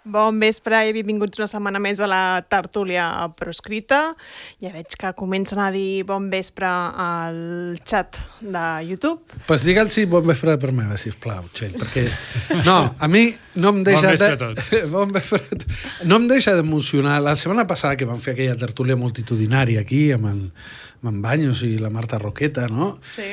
Bon vespre i benvinguts una setmana més a la tertúlia proscrita. Ja veig que comencen a dir bon vespre al xat de YouTube. Pues digue'ls bon vespre per meva, sisplau, Txell, perquè no, a mi no em deixa... Bon vespre a tots. Bon vespre a tots. No em deixa d'emocionar. La setmana passada que vam fer aquella tertúlia multitudinària aquí amb en Baños i la Marta Roqueta, no? Sí.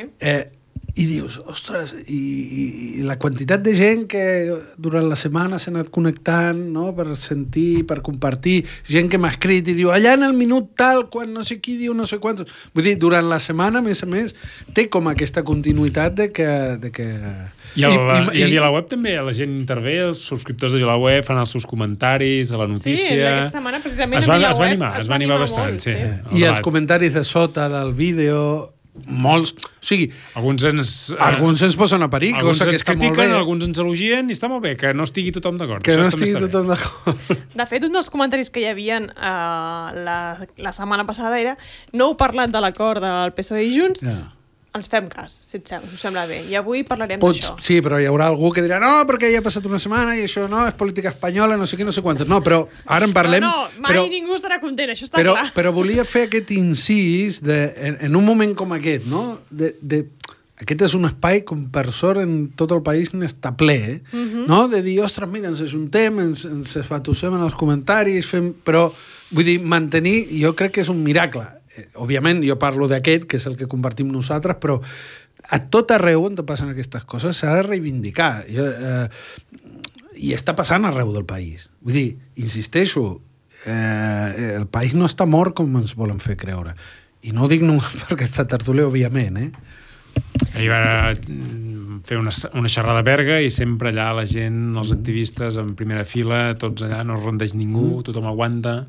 I dius, ostres, i la quantitat de gent que durant la setmana s'ha anat connectant, no?, per sentir, per compartir, gent que m'ha escrit i diu, allà en el minut tal, quan no sé qui diu no sé quantos... Vull dir, durant la setmana, a més, té com aquesta continuïtat de que... I a VilaWeb també la gent intervé, els subscriptors de VilaWeb fan els seus comentaris a la notícia... Sí, aquesta setmana precisament a VilaWeb es va animar bastant, molt, sí. I els comentaris de sota del vídeo... molts, o sigui, alguns ens posen a parir, cosa que està molt bé. Alguns ens elogien i està molt bé, que no estigui tothom d'acord. Que no estigui tothom d'acord. De fet, un dels comentaris que hi havia la setmana passada era no heu parlat de l'acord del PSOE i Junts, ens fem cas, si us sembla bé. I avui parlarem d'això. Sí, però hi haurà algú que dirà no, perquè ja ha passat una setmana i això no, és política espanyola, no sé què, no sé quantos. No, però ara en parlem... No, mai ningú estarà content, això està clar. Però volia fer aquest incís en un moment com aquest, no? Aquest és un espai, com per sort, en tot el país n'està ple, no? De dir, ostres, mira, ens ajuntem, ens esbatussem en els comentaris, però, vull dir, mantenir, jo crec que és un miracle. Òbviament, jo parlo d'aquest, que és el que compartim nosaltres, però a tot arreu on passen aquestes coses s'ha de reivindicar. I està passant arreu del país. Vull dir, insisteixo, el país no està mort com ens volen fer creure. I no ho dic només per aquesta tertúlia, òbviament, Ahir va fer una xerrada a Berga i sempre allà la gent, els activistes en primera fila, tots allà, no es rendeix ningú, tothom aguanta...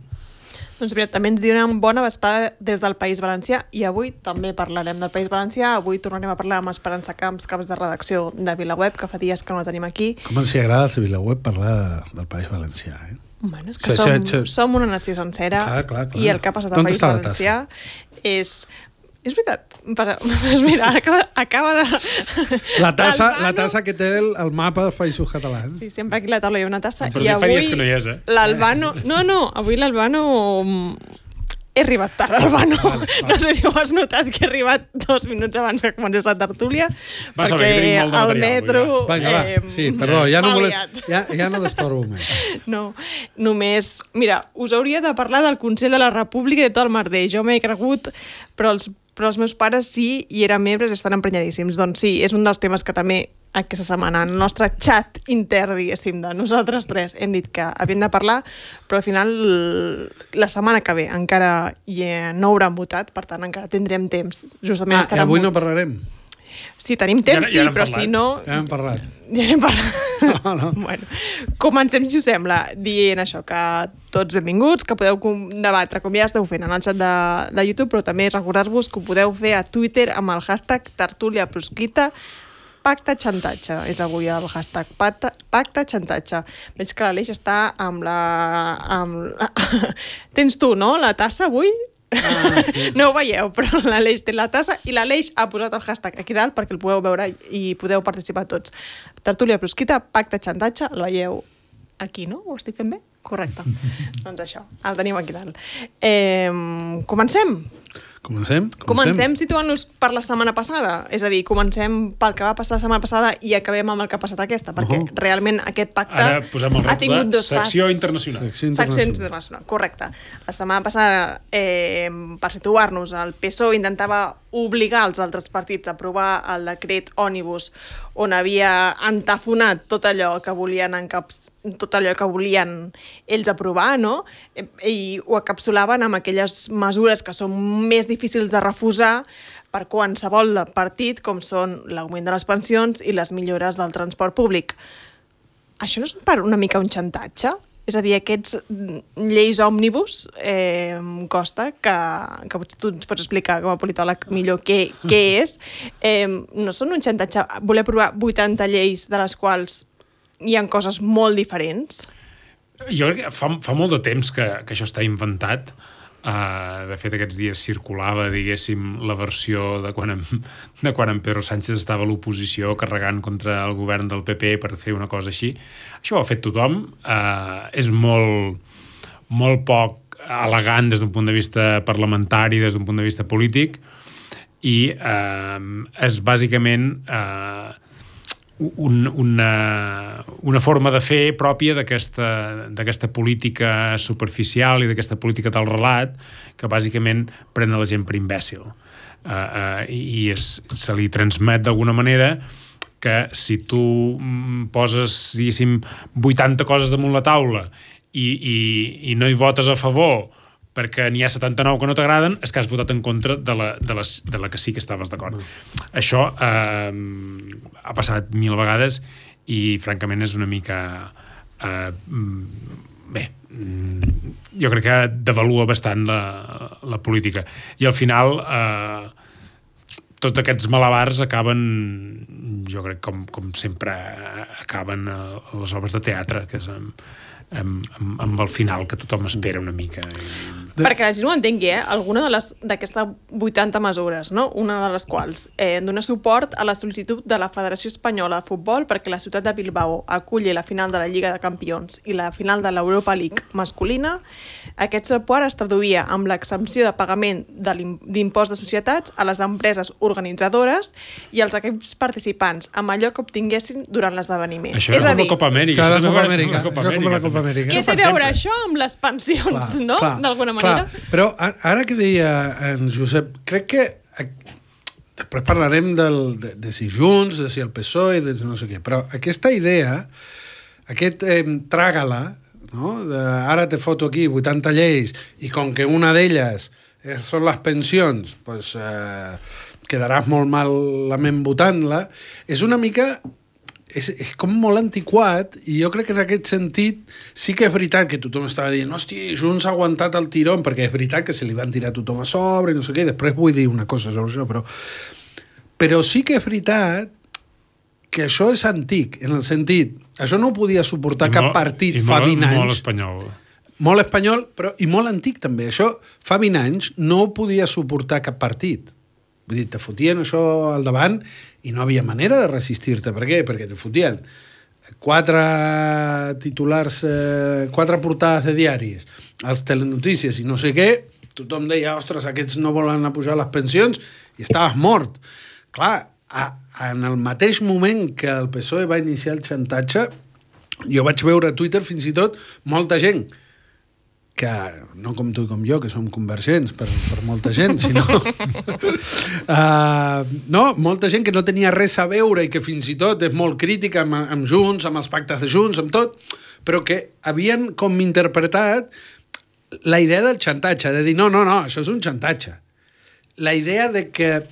Doncs mira, també ens diuen bona vesprada des del País Valencià i avui també parlarem del País Valencià. Avui tornarem a parlar amb Esperança Camps, caps de redacció de VilaWeb, que fa dies que no la tenim aquí. Com ens agrada a VilaWeb parlar del País Valencià, Bueno, és que som una nació sencera. Clar. I el que ha passat al País Valencià és veritat. Mira, acaba de... La tassa que té el mapa dels països catalans. Sí, sempre aquí a la taula hi ha una tassa. Però fa dies que no hi és, l'Albano... No, avui l'Albano... He arribat tard, Albano. Vale. No sé si ho has notat, que he arribat 2 minuts abans que comencés la tertúlia. Va saber que tenim molt de material. El metro... Vinga, va. Sí, perdó, ja no destorbo més. No, només... Mira, us hauria de parlar del Consell de la República i de tot el merder. Jo m'he cregut, però els meus pares sí, i eren membres i estan emprenyadíssims. Doncs sí, és un dels temes que també aquesta setmana en el nostre xat intern, diguéssim, de nosaltres tres hem dit que havíem de parlar, però al final la setmana que ve encara no hauran votat, per tant encara tindrem temps. Justament i avui no parlarem? Sí, tenim temps, sí, però si no... Ja hem parlat. No. Bueno, comencem, si us sembla, dient això, que tots benvinguts, que podeu debatre, com ja esteu fent en el xat de YouTube, però també recordar-vos que ho podeu fer a Twitter amb el hashtag tertúlia proscrita, pacte xantatge, és avui el hashtag pacte xantatge. Veig que l'Aleix està amb la... Tens tu, no?, la tassa avui? Sí. No ho veieu, però l'Aleix té la tassa i l'Aleix ha posat el hashtag aquí dalt perquè el podeu veure i podeu participar tots. Tertúlia proscrita, pacte xantatge, el veieu aquí, no? Ho estic fent bé? Correcte. Doncs això, el tenim aquí dalt. Comencem? Comencem situant-nos per la setmana passada, és a dir, comencem pel que va passar la setmana passada i acabem amb el que ha passat aquesta, perquè realment aquest pacte ha tingut dos fases. Secció internacional. Secció internacional, correcte. La setmana passada, per situar-nos, el PSOE intentava obligar els altres partits a aprovar el decret ònibus on havia entafonat tot allò que volien ells aprovar, no? I ho encapsulaven amb aquelles mesures que són més difícils de refusar per qualsevol partit, com són l'augment de les pensions i les millores del transport públic. Això no és una mica un xantatge? És a dir, aquests lleis òmnibus costa, que potser tu ens pots explicar com a politòleg millor què és. No són un xantatge voler aprovar 80 lleis de les quals hi ha coses molt diferents? Jo crec que fa molt de temps que això està inventat. De fet, aquests dies circulava, diguéssim, la versió de quan en Pedro Sánchez estava a l'oposició carregant contra el govern del PP per fer una cosa així. Això ho ha fet tothom. És molt poc elegant des d'un punt de vista parlamentari, des d'un punt de vista polític, i és bàsicament una forma de fer pròpia d'aquesta política superficial i d'aquesta política del relat que bàsicament pren la gent per imbècil. I se li transmet d'alguna manera que si tu poses, diguéssim, 80 coses damunt la taula i no hi votes a favor perquè n'hi ha 79 que no t'agraden, és que has votat en contra de la que sí que estaves d'acord. Això ha passat 1000 vegades i, francament, és una mica... jo crec que devalua bastant la política. I al final, tots aquests malabars acaben, jo crec, com sempre acaben a les obres de teatre, que és amb el final que tothom espera una mica. Perquè la gent ho entengui, alguna d'aquestes 80 mesures, no? Una de les quals dona suport a la sol·licitud de la Federació Espanyola de Futbol perquè la ciutat de Bilbao aculli la final de la Lliga de Campions i la final de l'Europa League masculina. Aquest suport es traduïa amb l'exempció de pagament d'impost de societats a les empreses organitzadores i als equips participants, amb allò que obtinguessin durant l'esdeveniment. Això és com la Copa Amèrica. Això és la Copa Amèrica. Què té a veure això amb les pensions, no? D'alguna manera. Però ara que deia en Josep, crec que després parlarem de si Junts, de si el PSOE, de no sé què, però aquesta idea, aquest tràgala, no? Ara te foto aquí 80 lleis i com que una d'elles són les pensions, pues, quedaràs molt malament votant-la, és una mica... És com molt antiquat i jo crec que en aquest sentit sí que és veritat que tothom estava dient hosti, Junts ha aguantat el tirón, perquè és veritat que se li van tirar tothom a sobre i no sé què, després vull dir una cosa sobre això, però sí que és veritat que això és antic, en el sentit, això no ho podia suportar cap partit fa 20 anys. Molt espanyol. Molt espanyol, però i molt antic també. Això fa 20 anys no ho podia suportar cap partit. Vull dir, te fotien això al davant i no havia manera de resistir-te. Per què? Perquè te fotien 4 titulars, 4 portades de diaris, els telenotícies i no sé què, tothom deia, ostres, aquests no volen apujar les pensions i estaves mort. Clar, en el mateix moment que el PSOE va iniciar el xantatge, jo vaig veure a Twitter fins i tot molta gent que no com tu i com jo, que som convergents per molta gent, sinó no, molta gent que no tenia res a veure i que fins i tot és molt crítica amb Junts, amb els pactes de Junts, amb tot, però que havien com interpretat la idea del xantatge, de dir, no, això és un xantatge. La idea de que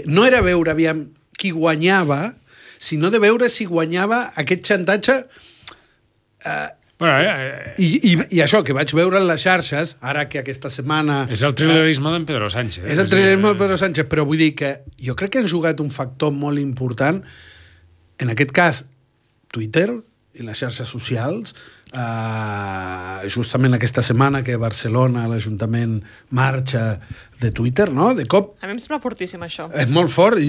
no era veure aviam qui guanyava, sinó de veure si guanyava aquest xantatge I això que vaig veure en les xarxes, ara que aquesta setmana... És el trilerisme d'en Pedro Sánchez. És el trilerisme de Pedro Sánchez, però vull dir que jo crec que han jugat un factor molt important, en aquest cas, Twitter i les xarxes socials, justament aquesta setmana que a Barcelona l'Ajuntament marxa de Twitter, no? De cop... A mi em sembla fortíssim, això. És molt fort,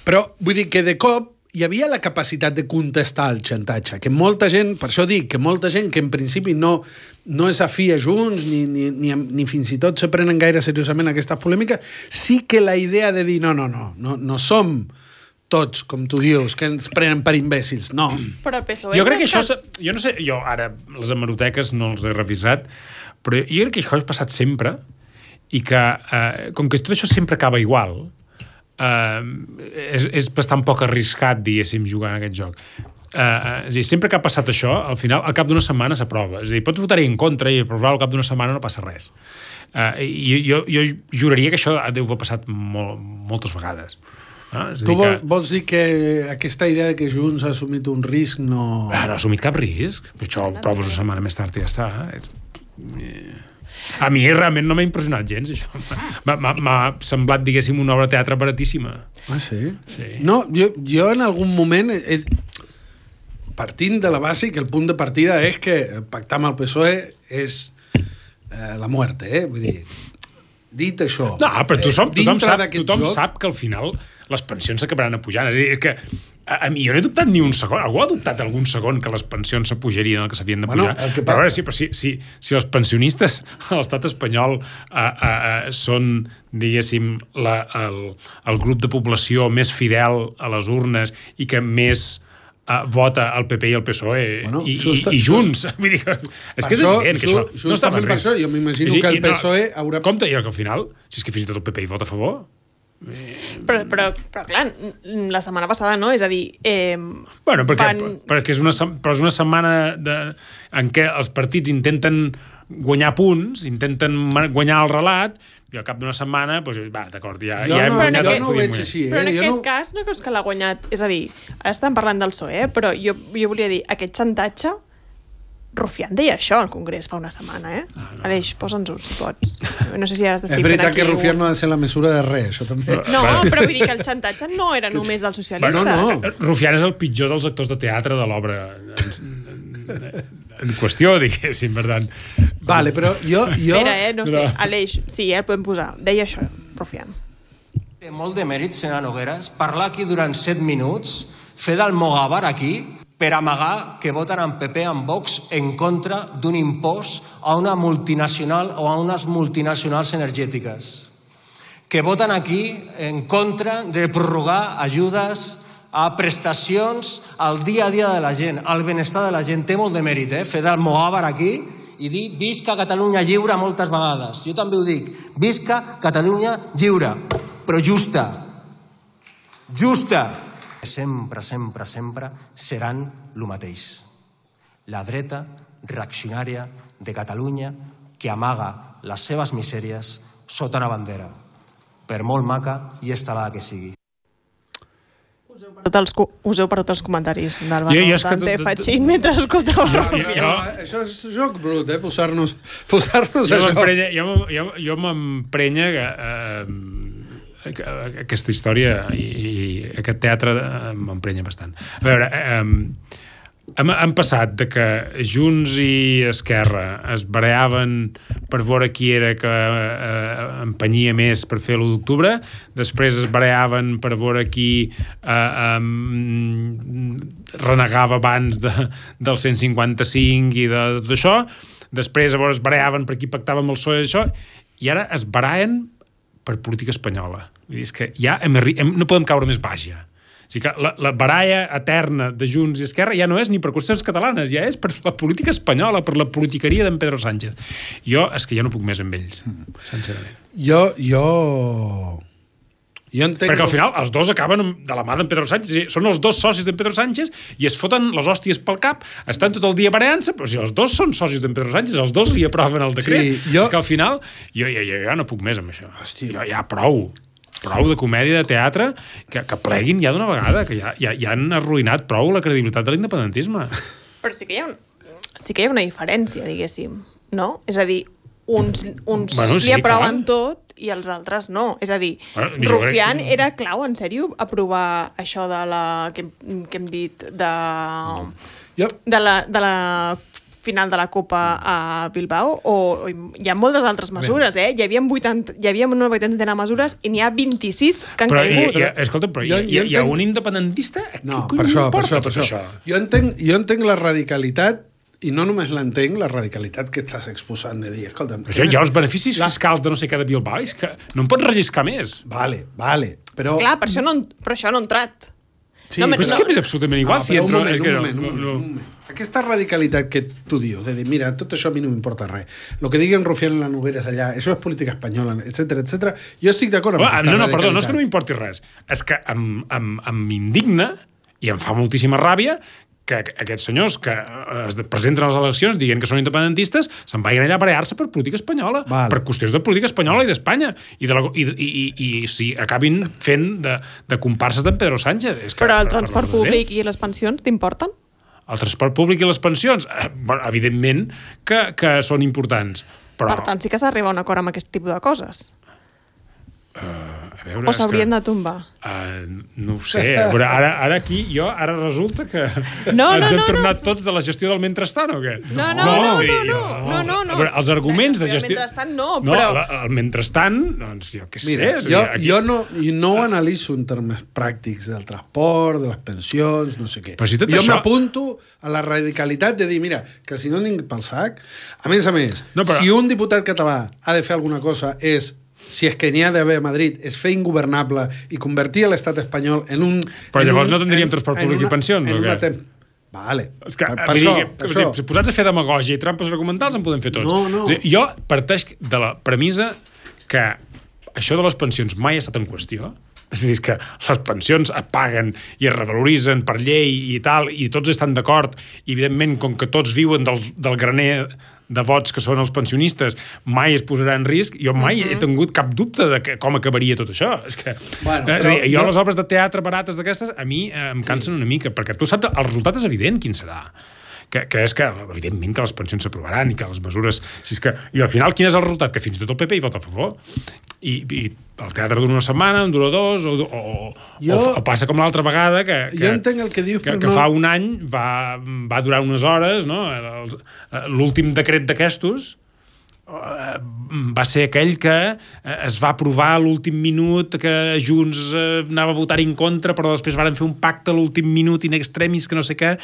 però vull dir que de cop hi havia la capacitat de contestar el xantatge, que molta gent, per això dic, que molta gent que en principi no és afí a Junts, ni fins i tot se prenen gaire seriosament aquestes polèmiques, sí que la idea de dir no som tots, com tu dius, que ens prenen per imbècils, no. Però el PSOE... Jo crec que això... Jo no sé, jo ara les hemeroteques no els he revisat, però jo crec que això ha passat sempre i que, com que tot això sempre acaba igual, és bastant poc arriscat, diguéssim, jugar en aquest joc. És a dir, sempre que ha passat això, al final, al cap d'una setmana s'aprova. És a dir, pots votar-hi en contra i aprovar al cap d'una setmana no passa res. Jo juraria que això deu haver passat moltes vegades. Tu vols dir que aquesta idea que Junts ha assumit un risc no... No ha assumit cap risc. Això ho proves una setmana més tard i ja està. A mi realment no m'ha impressionat gens, això. M'ha semblat, diguéssim, una obra de teatre baratíssima. Ah, sí? Sí. No, jo en algun moment... Partint de la base que el punt de partida és que pactar amb el PSOE és la muerte, Vull dir, dit això... No, però tothom sap que al final les pensions s'acabaran apujant. És a dir, que a mi jo no he dubtat ni un segon. Algú ha dubtat algun segon que les pensions s'apujarien el que s'havien de pujar? Però a veure, si els pensionistes a l'estat espanyol són, diguéssim, el grup de població més fidel a les urnes i que més vota el PP i el PSOE i Junts. Vull dir, és que és evident que això no està per això. Jo m'imagino que el PSOE haurà... Compte, i que al final, si és que fins i tot el PP hi vota a favor... Però clar, la setmana passada no, és a dir... Bueno, perquè és una setmana en què els partits intenten guanyar punts, intenten guanyar el relat, i al cap d'una setmana, doncs, va, d'acord, ja hem guanyat. Jo no ho veig així. Però en aquest cas no creus que l'ha guanyat? És a dir, ara estem parlant del PSOE, però jo volia dir, aquest xantatge, Rufián deia això al Congrés fa una setmana, Aleix, posa'ns-ho, si pots. No sé si ara t'estic fent aquí... És veritat que Rufián no ha de ser la mesura de res, això també. No, però vull dir que el xantatge no era només dels socialistes. No. Rufián és el pitjor dels actors de teatre de l'obra en qüestió, diguéssim, per tant. Vale, però jo... Espera, no sé, Aleix, sí, el podem posar. Deia això, Rufián. Té molt de mèrit, senyora Nogueras, parlar aquí durant 7 minuts, fer del Mogabar aquí, per amagar que voten en PP, en Vox, en contra d'un impost a una multinacional o a unes multinacionals energètiques. Que voten aquí en contra de prorrogar ajudes a prestacions al dia a dia de la gent, al benestar de la gent. Té molt de mèrit, fer del Mogabar aquí i dir visca Catalunya lliure moltes vegades. Jo també ho dic, visca Catalunya lliure, però justa. Justa. Sempre seran el mateix. La dreta reaccionària de Catalunya que amaga les seves misèries sota una bandera, per molt maca i estelada que sigui. Useu per tots els comentaris d'Alvaro Dante Fachin mentre escolteu. Això és joc brut, posar-nos a joc. Jo m'emprenya aquesta història i aquest teatre m'emprenya bastant. A veure, hem passat de que Junts i Esquerra es bareaven per veure qui era que empenyia més per fer l'1 d'octubre, després es bareaven per veure qui renegava abans del 155 i de tot això, després llavors es bareaven per qui pactava amb el PSOE i això, i ara es baraen per política espanyola. Vull dir, és que ja no podem caure més baix, ja. O sigui que la baralla eterna de Junts i Esquerra ja no és ni per qüestions catalanes, ja és per la política espanyola, per la politiqueria d'en Pedro Sánchez. És que ja no puc més amb ells, sincerament. Jo entenc... Perquè al final els dos acaben de la mà d'en Pedro Sánchez. Són els dos socis d'en Pedro Sánchez i es foten les hòsties pel cap, estan tot el dia bareant-se, però si els dos són socis d'en Pedro Sánchez, els dos li aproven el decret. Sí, és que al final jo ja no puc més amb això. Ja prou de comèdia, de teatre, que pleguin ja d'una vegada, que ja han arruïnat prou la credibilitat de l'independentisme. Però sí que hi ha una diferència, diguéssim, no? És a dir, uns li aproven tot i els altres no. És a dir, Rufián era clau, en sèrio, aprovar això de la que hem dit de la final de la Copa a Bilbao, o hi ha moltes altres mesures, Hi havia una 80 mesures i n'hi ha 26 que han caigut. Escolta, però hi ha un independentista? No, per això. Jo entenc la radicalitat. I no només l'entenc, la radicalitat que estàs exposant de dir, escolta'm... Hi ha els beneficis fiscals de no sé què de Bilbao, és que no em pots relliscar més. Vale, però... Clar, per això no ha entrat. Sí, però és que és absolutament igual si entra... Un moment. Aquesta radicalitat que tu dius, de dir, mira, tot això a mi no m'importa res. Lo que diguen Rufián en la Nogueras allà, això és política espanyola, etc. Jo estic d'acord amb aquesta radicalitat. Perdó, no és que no m'importi res. És que em indigna i em fa moltíssima ràbia que aquests senyors que es presenten a les eleccions dient que són independentistes se'n vagin allà a barallar-se per política espanyola, per qüestions de política espanyola i d'Espanya, i acabin fent de comparses d'en Pedro Sánchez. Però el transport públic i les pensions t'importen? El transport públic i les pensions, evidentment que són importants. Però... Per tant, sí que s'arriba a un acord amb aquest tipus de coses. A veure, o s'haurien de tombar? No ho sé. Veure, ara aquí, ara resulta que ens hem tornat tots de la gestió del mentrestant, o què? No. Veure, els arguments de gestió... El mentrestant però... El mentrestant, doncs jo què sé. Mira, jo no ho analitzo en termes pràctics del transport, de les pensions, no sé què. Jo m'apunto a la radicalitat de dir, mira, que si no tinc pel sac... A més, si un diputat català ha de fer alguna cosa si és que n'hi ha d'haver a Madrid, és fer ingovernable i convertir l'estat espanyol en un... Però llavors no tindríem transport públic i pensions, o què? Vale. Per això. Si posats a fer demagògia i trampes argumentals en podem fer tots. No. Jo parteix de la premissa que això de les pensions mai ha estat en qüestió. És a dir, que les pensions es paguen i es revaloritzen per llei i tal, i tots estan d'acord, i evidentment, com que tots viuen del graner de vots que són els pensionistes, mai es posarà en risc. Jo mai he tingut cap dubte de com acabaria tot això. És que, jo les obres de teatre barates d'aquestes, a mi em cansen una mica, perquè tu saps, el resultat és evident quin serà. Que és que, evidentment, que les pensions s'aprovaran i que les mesures... I al final, quin és el resultat? Que fins i tot el PP hi vota a favor. I el teatre dura una setmana, en dura dos, o passa com l'altra vegada, jo entenc el que dius, que fa un any va durar unes hores, no? L'últim decret d'aquestos va ser aquell que es va aprovar a l'últim minut, que Junts anava a votar en contra, però després varen fer un pacte a l'últim minut in extremis, que no sé què,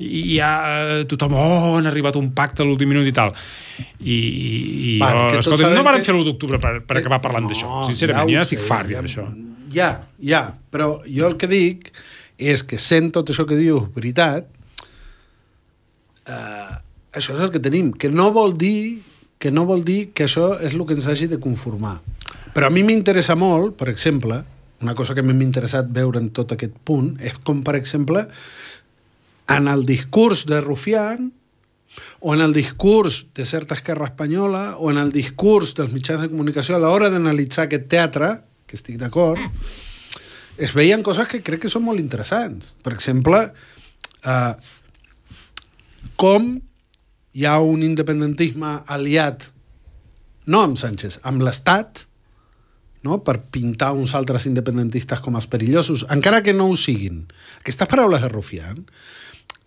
i ja tothom, han arribat a un pacte a l'últim minut i tal. Escolta, no varen fer l'1 d'octubre per acabar parlant d'això. Sincerament, jo estic fart d'això. Ja, però jo el que dic és que sent tot això que dius veritat, això és el que tenim, que no vol dir que això és el que ens hagi de conformar. Però a mi m'interessa molt, per exemple, una cosa que m'ha interessat veure en tot aquest punt, és com, per exemple, en el discurs de Rufián, o en el discurs de certa esquerra espanyola, o en el discurs dels mitjans de comunicació, a l'hora d'analitzar aquest teatre, que estic d'acord, es veien coses que crec que són molt interessants. Per exemple, com hi ha un independentisme aliat, no amb Sánchez, amb l'Estat, no? Per pintar uns altres independentistes com els perillosos, encara que no ho siguin. Aquestes paraules de Rufián,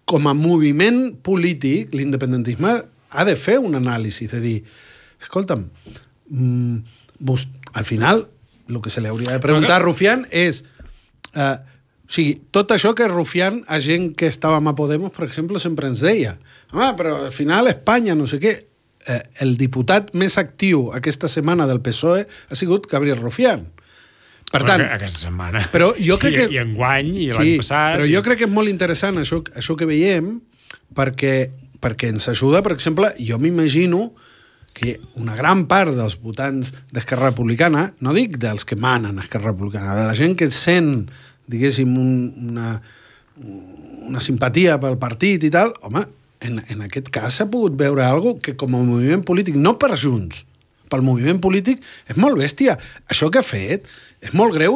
com a moviment polític, l'independentisme ha de fer un anàlisi, de dir, escolta'm, al final, el que se li hauria de preguntar a Rufián és... O sigui, tot això que Rufián, a gent que estàvem a Podemos, per exemple, sempre ens deia, home, però al final Espanya, no sé què, el diputat més actiu aquesta setmana del PSOE ha sigut Gabriel Rufián. Per tant... Aquesta setmana. Però jo crec que... I enguany, i l'any passat... Però jo crec que és molt interessant això que veiem, perquè ens ajuda, per exemple, jo m'imagino que una gran part dels votants d'Esquerra Republicana, no dic dels que manen a Esquerra Republicana, de la gent que sent, diguéssim, una simpatia pel partit i tal, home, en aquest cas s'ha pogut veure alguna cosa que com a moviment polític, no per Junts, pel moviment polític, és molt bèstia. Això que ha fet és molt greu.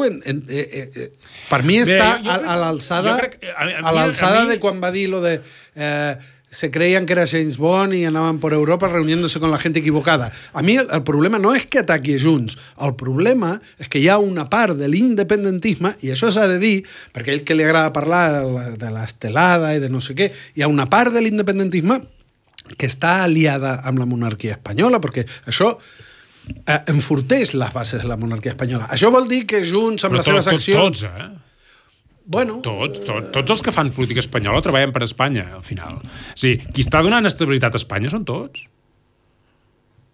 Per mi està a l'alçada de quan va dir lo de... se creían que era James Bond y andaban por Europa reuniéndose con la gente equivocada. A mi el problema no és que ataqui Junts, el problema és que hi ha una part de l'independentisme, i això s'ha de dir, perquè a ell que li agrada parlar de l'estelada i de no sé què, hi ha una part de l'independentisme que està aliada amb la monarquia espanyola, perquè això enforteix les bases de la monarquia espanyola. Això vol dir que Junts, amb les seves accions... Bueno, tots els que fan política espanyola treballen per Espanya, al final. O sigui, qui està donant estabilitat a Espanya són tots.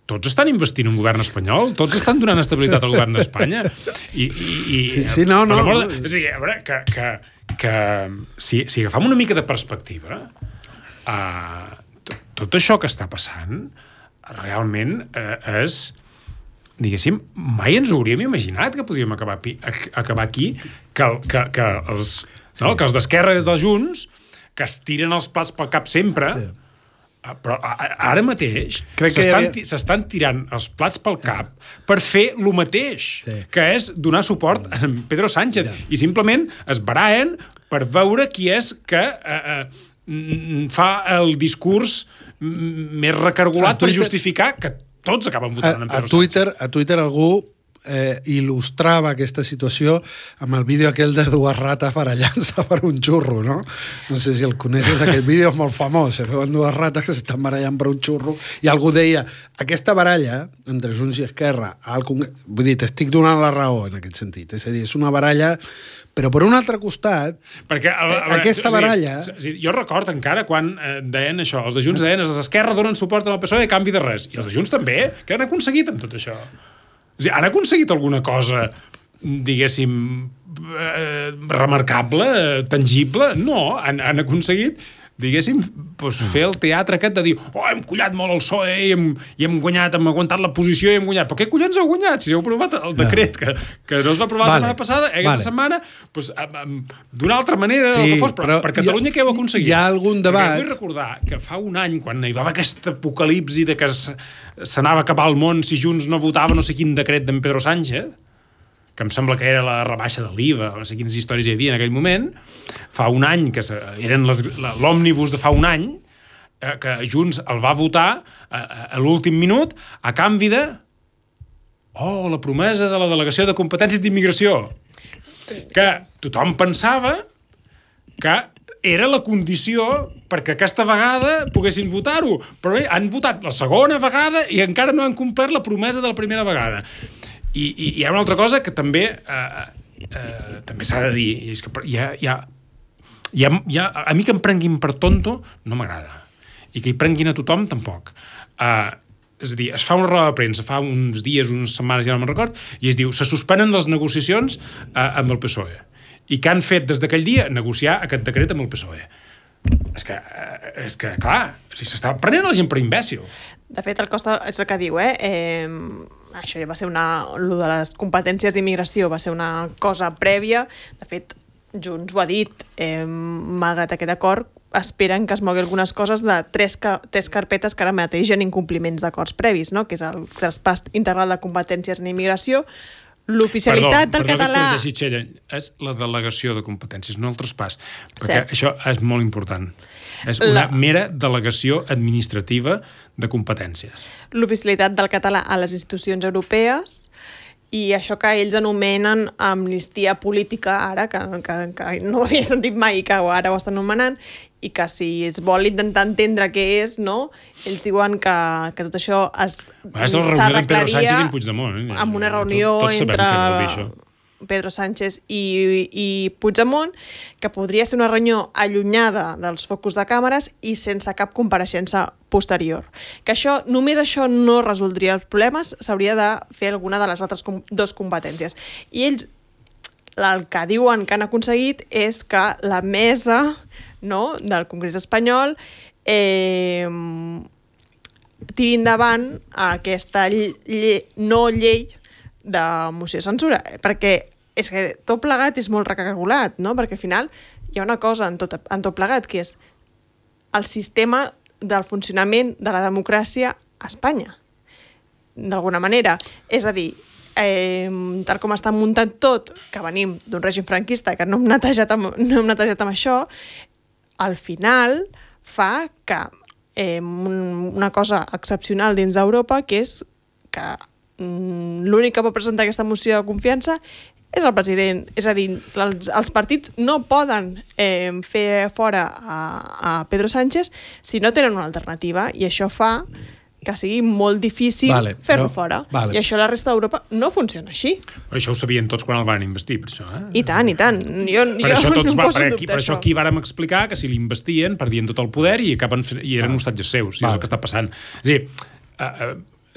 Tots estan investint un govern espanyol, tots estan donant estabilitat al govern d'Espanya. No. És a dir, a veure, que si agafam una mica de perspectiva, tot això que està passant realment és... diguéssim, mai ens ho hauríem imaginat que podríem acabar aquí, que els d'Esquerra i dels Junts que es tiren els plats pel cap sempre, sí. Però ara mateix s'estan tirant els plats pel cap per fer el mateix, que és donar suport a Pedro Sánchez. I simplement es barallen per veure qui és que fa el discurs més recargolat per justificar que tots acaben votant en Pedro Sánchez. A Twitter algú il·lustrava aquesta situació amb el vídeo aquell de dues rates barallant-se per un xurro, no? No sé si el coneixes, aquest vídeo és molt famós, veuen dues rates que s'estan barallant per un xurro, i algú deia, aquesta baralla entre Junts i Esquerra, vull dir, t'estic donant la raó en aquest sentit, és a dir, és una baralla, però per un altre costat, perquè aquesta baralla... Jo recordo encara quan deien això, els de Junts deien, els d'Esquerra donen suport al PSOE a canvi de res, i els de Junts també, què han aconseguit amb tot això? O sigui, han aconseguit alguna cosa, diguéssim, remarcable, tangible? No, han aconseguit, diguéssim, fer el teatre aquest de dir hem collat molt el PSOE i hem guanyat, hem aguantat la posició i hem guanyat. Però què collons heu guanyat? Si heu aprovat el decret que no es va aprovar la setmana passada, aquesta setmana, d'una altra manera, el que fos, però per Catalunya què heu aconseguit? Hi ha algun debat... Vull recordar que fa un any, quan hi va haver aquest apocalipsi de que s'anava a acabar el món si Junts no votava no sé quin decret d'en Pedro Sánchez, que em sembla que era la rebaixa de l'IVA, no sé quines històries hi havia en aquell moment, fa un any, que eren l'òmnibus de fa un any, que Junts el va votar a l'últim minut a canvi de la promesa de la delegació de competències d'immigració, que tothom pensava que era la condició perquè aquesta vegada poguessin votar-ho, però bé, han votat la segona vegada i encara no han complert la promesa de la primera vegada. I hi ha una altra cosa que també s'ha de dir, és que a mi que em prenguin per tonto no m'agrada, i que hi prenguin a tothom tampoc. És a dir, es fa una roda de premsa fa uns dies, unes setmanes, ja no me'n record, i es diu, se suspenen les negociacions amb el PSOE, i que han fet des d'aquell dia negociar aquest decret amb el PSOE. És que clar, s'està prenent la gent per imbècil. De fet, el Costa és el que diu, això ja va ser lo de les competències d'immigració va ser una cosa prèvia. De fet, Junts ho ha dit, malgrat aquest acord, esperen que es mogui algunes coses de tres carpetes que ara mateix hi ha incompliments d'acords previs, no? Que és el traspàs integral de competències en immigració, l'oficialitat del català... Perdó, Txella, és la delegació de competències, no el traspàs, perquè això és molt important. És una mera delegació administrativa de competències. L'oficialitat del català a les institucions europees i això que ells anomenen amnistia política ara, que no havia sentit mai i que ara ho estan anomenant, i que si es vol intentar entendre què és, no? Ells diuen que tot això s'arreglaria amb una reunió entre Pedro Sánchez i Puigdemont, que podria ser una reunió allunyada dels focus de càmeres i sense cap compareixença posterior. Que només això no resoldria els problemes, s'hauria de fer alguna de les altres dues competències. I ells el que diuen que han aconseguit és que la mesa del Congrés espanyol tiri endavant aquesta no llei de moció de censura, perquè és que tot plegat és molt recargolat, no? Perquè al final hi ha una cosa en tot plegat, que és el sistema del funcionament de la democràcia a Espanya, d'alguna manera. És a dir, tal com està muntat tot, que venim d'un règim franquista que no hem netejat amb això, al final fa que una cosa excepcional dins d'Europa, que és que l'únic que pot presentar aquesta moció de confiança és el president. És a dir, els partits no poden fer fora a Pedro Sánchez si no tenen una alternativa, i això fa que sigui molt difícil fer-lo fora. I això a la resta d'Europa no funciona així. Però això ho sabien tots quan el van investir, per això. I tant, i tant. Per això aquí vàrem explicar que si l'investien perdien tot el poder i eren hostatges seus, i és el que està passant. És a dir,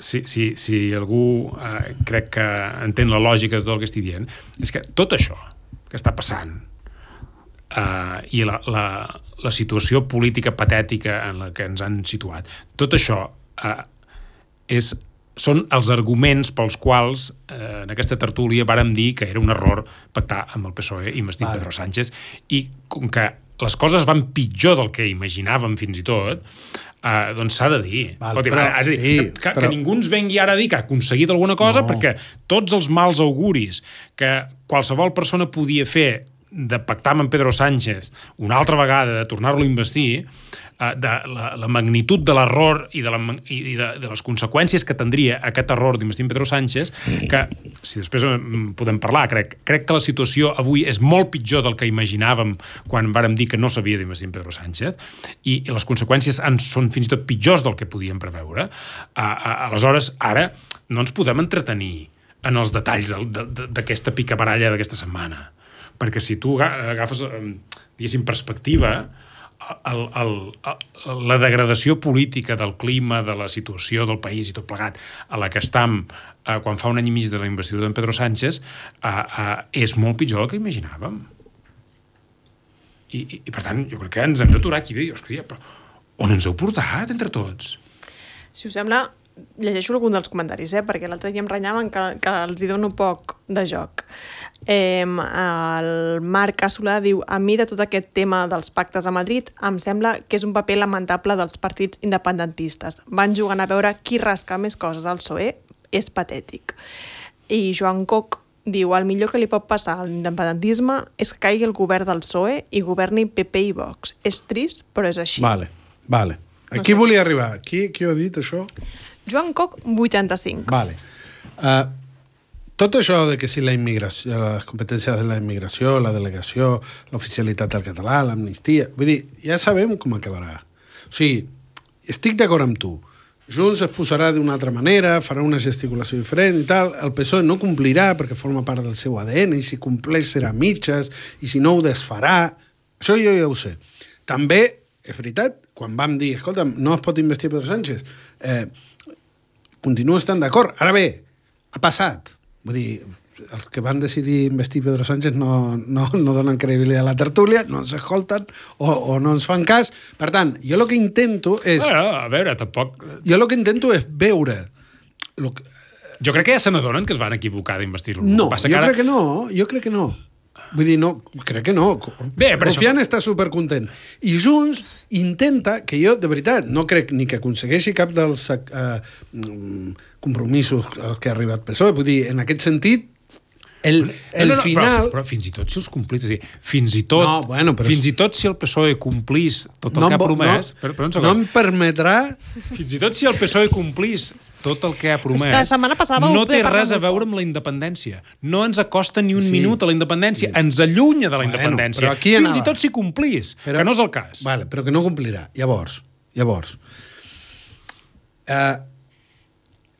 si algú crec que entén la lògica de tot el que estic dient, és que tot això que està passant i la situació política patètica en la que ens han situat, tot això són els arguments pels quals en aquesta tertúlia vàrem dir que era un error pactar amb el PSOE i investir Pedro Sánchez, i com que les coses van pitjor del que imaginàvem fins i tot, doncs s'ha de dir. És a dir, que ningú ens vengui ara a dir que ha aconseguit alguna cosa, perquè tots els mals auguris que qualsevol persona podia fer de pactar amb Pedro Sánchez una altra vegada, de tornar-lo a investir, de la magnitud de l'error i de les conseqüències que tindria aquest error d'investir en Pedro Sánchez, que, si després podem parlar, crec que la situació avui és molt pitjor del que imaginàvem quan vàrem dir que no s'havia d'investir en Pedro Sánchez, i les conseqüències són fins i tot pitjors del que podíem preveure. Aleshores, ara no ens podem entretenir en els detalls d'aquesta picabaralla d'aquesta setmana, perquè si tu agafes, diguéssim, perspectiva, la degradació política del clima, de la situació del país i tot plegat a la que estem quan fa un any i mig de la investidura d'en Pedro Sánchez és molt pitjor del que imaginàvem. I per tant, jo crec que ens hem d'aturar aquí i dir, hòstia, però on ens heu portat entre tots? Si us sembla, llegeixo algun dels comentaris, perquè l'altre dia em renyaven que els hi dono poc de joc. El Marc Assolà diu: a mi de tot aquest tema dels pactes a Madrid em sembla que és un paper lamentable dels partits independentistes. Van jugant a veure qui rasca més coses al PSOE. És patètic. I Joan Coc diu: el millor que li pot passar a l'independentisme és que caigui el govern del PSOE i governi PP i Vox. És trist, però és així. Vale. Aquí volia arribar. Qui ho ha dit, això? Joan Coc, 85. Vale. Tot això de que si la immigració, les competències de la immigració, la delegació, l'oficialitat del català, l'amnistia... Vull dir, ja sabem com acabarà. O sigui, estic d'acord amb tu. Junts es posarà d'una altra manera, farà una gesticulació diferent i tal. El PSOE no complirà perquè forma part del seu ADN, i si compleix serà mitges, i si no ho desfarà. Això jo ja ho sé. També, és veritat, quan vam dir, escolta, no es pot investir Pedro Sánchez, continuo estant d'acord. Ara bé, ha passat. Vull dir, els que van decidir investir Pedro Sánchez no donen credibilitat a la tertúlia, no ens escolten o no ens fan cas. Per tant, jo el que intento és... A veure, tampoc... Jo el que intento és veure... Jo crec que ja se n'adonen que es van equivocar d'investir-lo. No, jo crec que no. Vull dir, no, crec que no. Bé, però Rufián està supercontent. I Junts intenta, que jo, de veritat, no crec ni que aconsegueixi cap dels compromisos als que ha arribat PSOE. Vull dir, en aquest sentit, el final... Però fins i tot si els complís, és a dir, fins i tot si el PSOE complís tot el que ha promès... No em permetrà... Fins i tot si el PSOE complís tot el que ha promès, la setmana passada no té res a veure amb la independència. No ens acosta ni un minut a la independència. Ens allunya de la independència. Fins i tot si complís, que no és el cas. Vale, però que no complirà. Llavors,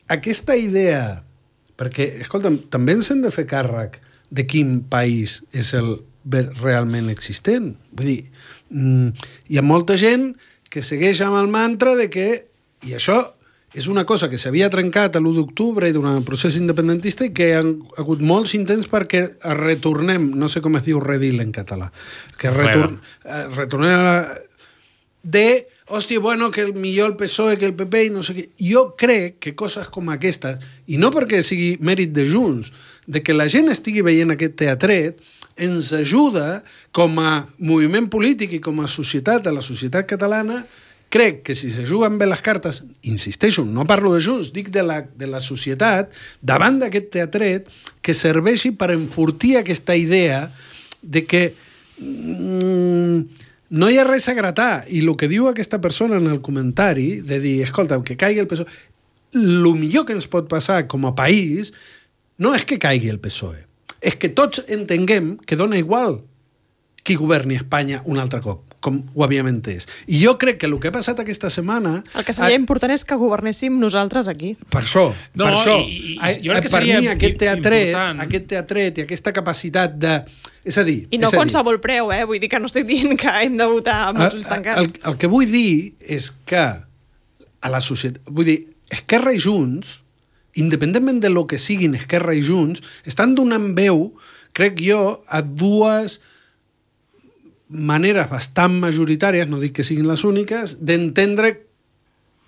aquesta idea... Perquè, escolta'm, també ens hem de fer càrrec de quin país és el realment existent. Vull dir, hi ha molta gent que segueix amb el mantra de que... I això és una cosa que s'havia trencat l'1 d'octubre i durant el procés independentista i que hi ha hagut molts intents perquè retornem, no sé com es diu redil en català, que retornem a la... hòstia, bueno, que millor el PSOE que el PP i no sé què. Jo crec que coses com aquestes, i no perquè sigui mèrit de Junts, de que la gent estigui veient aquest teatret, ens ajuda com a moviment polític i com a societat, a la societat catalana. Crec que si se juguen bé les cartes, insisteixo, no parlo de Junts, dic de la societat, davant d'aquest teatret, que serveixi per enfortir aquesta idea de que no hi ha res a gratar. I el que diu aquesta persona en el comentari, de dir, escolta, que caigui el PSOE, el millor que ens pot passar com a país no és que caigui el PSOE, és que tots entenguem que dona igual qui governi Espanya un altre cop, com ho havíem entès. I jo crec que el que ha passat aquesta setmana... El que seria important és que governéssim nosaltres aquí. Per això. Jo crec que seria per mi aquest teatret i aquesta capacitat de... És a dir... I no qualsevol preu, vull dir que no estic dient que hem de votar amb els ulls tancats. El que vull dir és que a la societat... Vull dir, Esquerra i Junts, independentment de lo que siguin Esquerra i Junts, estan donant veu, crec jo, a dues maneres bastant majoritàries, no dic que siguin les úniques, d'entendre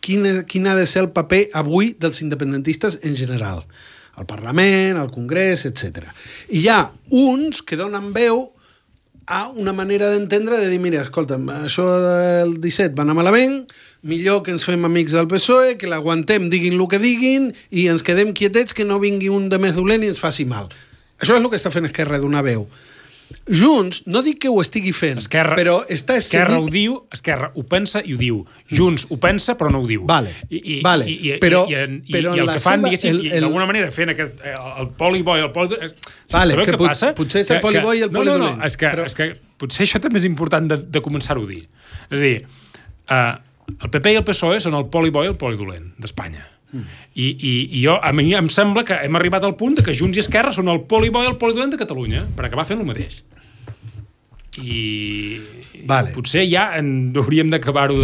quin ha de ser el paper avui dels independentistes en general. Al Parlament, al Congrés, etc. I hi ha uns que donen veu a una manera d'entendre de dir, mira, escolta'm, això del 17 va anar malament, millor que ens fem amics del PSOE, que l'aguantem, diguin el que diguin, i ens quedem quietets, que no vingui un de més dolent i ens faci mal. Això és el que està fent Esquerra d'una veu. Junts, no dic que ho estigui fent, però està Esquerra ho diu, Esquerra ho pensa i ho diu. Junts ho pensa però no ho diu. Vale. Però el que fan, diguéssim, d'alguna manera fent el poli-bo i el poli-dolent... Vale, que potser és el poli-bo i el poli-dolent. No, és que potser això també és important de començar-ho a dir. És a dir, el PP i el PSOE són el poli-bo i el poli-dolent d'Espanya. I a mi em sembla que hem arribat al punt que Junts i Esquerra són el poli-bo i el poli-dolent de Catalunya per acabar fent el mateix. I potser ja hauríem d'acabar-ho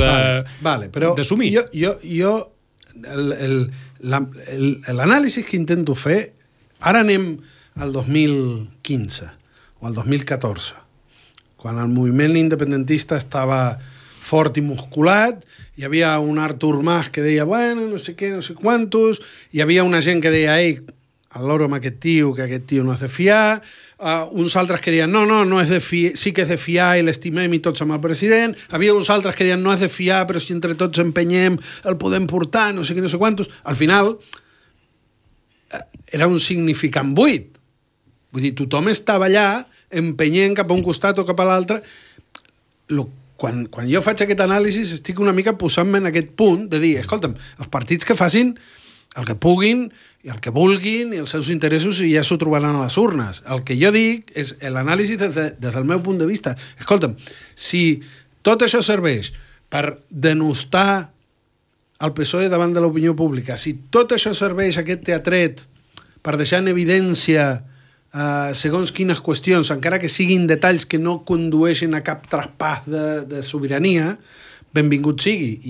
d'assumir. Jo l'anàlisi que intento fer, ara anem al 2015 o al 2014, quan el moviment independentista estava fort i musculat, hi havia un Artur Mas que deia, bueno, no sé què, no sé quantos, hi havia una gent que deia, ei, al loro amb aquest tio, que aquest tio no és de fiar, uns altres que deien, no és de fiar, sí que és de fiar i l'estimem i tots amb el president, havia uns altres que deien, no és de fiar, però si entre tots empenyem el podem portar, no sé què, no sé quantos. Al final, era un significant buit. Vull dir, tothom estava allà empenyent cap a un costat o cap a l'altre. Quan jo faig aquest anàlisi estic una mica posant-me en aquest punt de dir, escolta'm, els partits que facin el que puguin i el que vulguin i els seus interessos i ja s'ho trobaran a les urnes. El que jo dic és l'anàlisi des del meu punt de vista. Escolta'm, si tot això serveix per denostar el PSOE davant de l'opinió pública, si tot això serveix, aquest teatret, per deixar en evidència segons quines qüestions, encara que siguin detalls que no condueixin a cap traspàs de sobirania, benvingut sigui.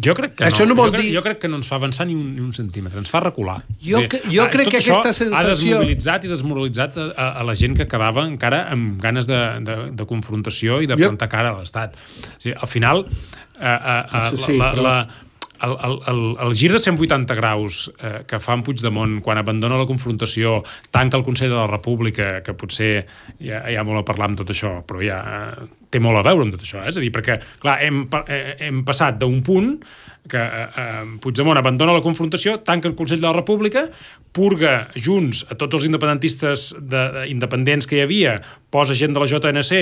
Jo crec que això no vol dir... Jo crec que no ens fa avançar ni un centímetre, ens fa recular. Jo crec que aquesta sensació... Ha desmobilitzat i desmoralitzat a la gent que quedava encara amb ganes de confrontació i de plantar cara a l'Estat. O sigui, al final, el gir de 180 graus que fa en Puigdemont quan abandona la confrontació, tanca el Consell de la República, que potser hi ha molt a parlar amb tot això, però ja té molt a veure amb tot això. És a dir, perquè clar, hem passat d'un punt que Puigdemont abandona la confrontació, tanca el Consell de la República, purga Junts a tots els independentistes independents que hi havia, posa gent de la JNC,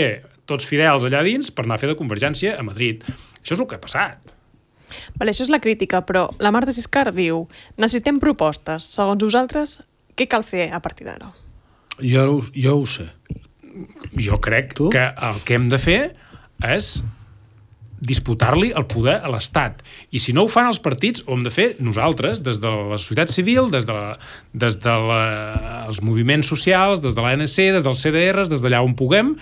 tots fidels allà dins, per anar a fer de Convergència a Madrid. Això és el que ha passat. Vale, això és la crítica, però la Marta Siscar diu, necessitem propostes. Segons vosaltres, què cal fer a partir d'ara? Jo ho sé. Jo crec que el que hem de fer és disputar-li el poder a l'Estat. I si no ho fan els partits, ho hem de fer nosaltres, des de la societat civil, des dels moviments socials, des de l'ANC, des dels CDRs, des d'allà on puguem,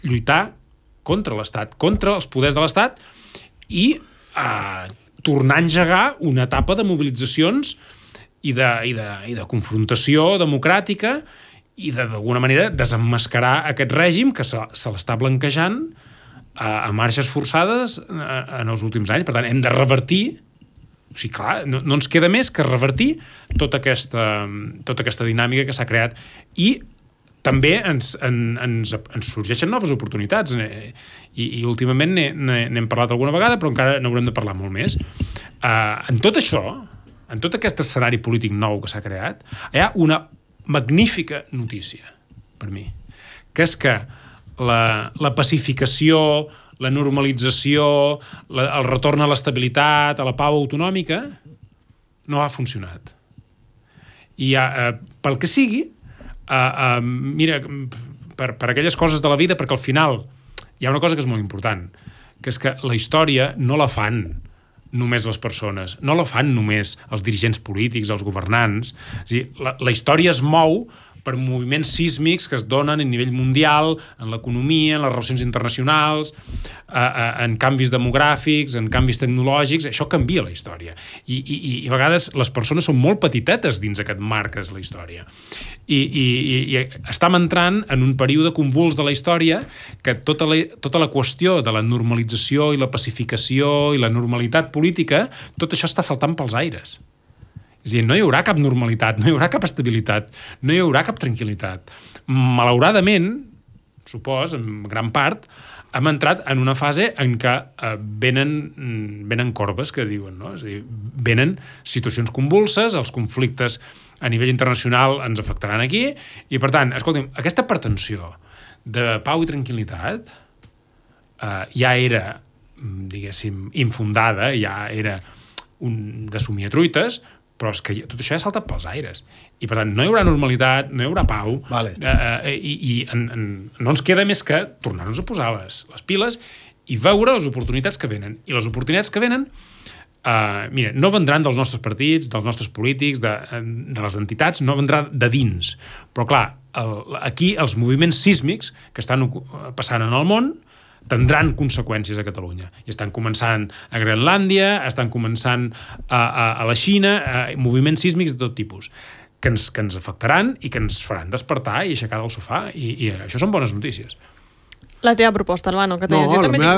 lluitar contra l'Estat, contra els poders de l'Estat i tornar a engegar una etapa de mobilitzacions i de confrontació democràtica i d'alguna manera desemmascarar aquest règim que se l'està blanquejant a marxes forçades en els últims anys. Per tant, hem de revertir, o sigui, clar, no ens queda més que revertir tota aquesta dinàmica que s'ha creat i també ens sorgeixen noves oportunitats i últimament n'hem parlat alguna vegada, però encara n'haurem de parlar molt més. En tot això, en tot aquest escenari polític nou que s'ha creat, hi ha una magnífica notícia per mi, que és que la pacificació, la normalització, el retorn a l'estabilitat, a la pau autonòmica, no ha funcionat. I pel que sigui, mira, per aquelles coses de la vida, perquè al final hi ha una cosa que és molt important, que és que la història no la fan només les persones, no la fan només els dirigents polítics, els governants. És a dir, la història es mou per moviments sísmics que es donen a nivell mundial, en l'economia, en les relacions internacionals, en canvis demogràfics, en canvis tecnològics. Això canvia la història. I a vegades les persones són molt petitetes dins aquest marc que és la història. I estem entrant en un període convuls de la història que tota la qüestió de la normalització i la pacificació i la normalitat política, tot això està saltant pels aires. És a dir, no hi haurà cap normalitat, no hi haurà cap estabilitat, no hi haurà cap tranquil·litat. Malauradament, supos, en gran part, hem entrat en una fase en què venen corbes, que diuen, no? És a dir, venen situacions convulses, els conflictes a nivell internacional ens afectaran aquí, i per tant, escolti'm, aquesta pretensió de pau i tranquil·litat ja era, diguéssim, infundada, ja era de somiatruites, però és que tot això ja ha saltat pels aires. I, per tant, no hi haurà normalitat, no hi haurà pau, no ens queda més que tornar-nos a posar les piles i veure les oportunitats que venen. I les oportunitats que venen, mira, no vendran dels nostres partits, dels nostres polítics, de les entitats, no vendrà de dins. Però, clar, aquí els moviments sísmics que estan passant en el món tindran conseqüències a Catalunya. I estan començant a Groenlàndia, estan començant a la Xina, moviments sísmics de tot tipus, que ens afectaran i que ens faran despertar i aixecar del sofà. I això són bones notícies. La teva proposta, Albano, que teies.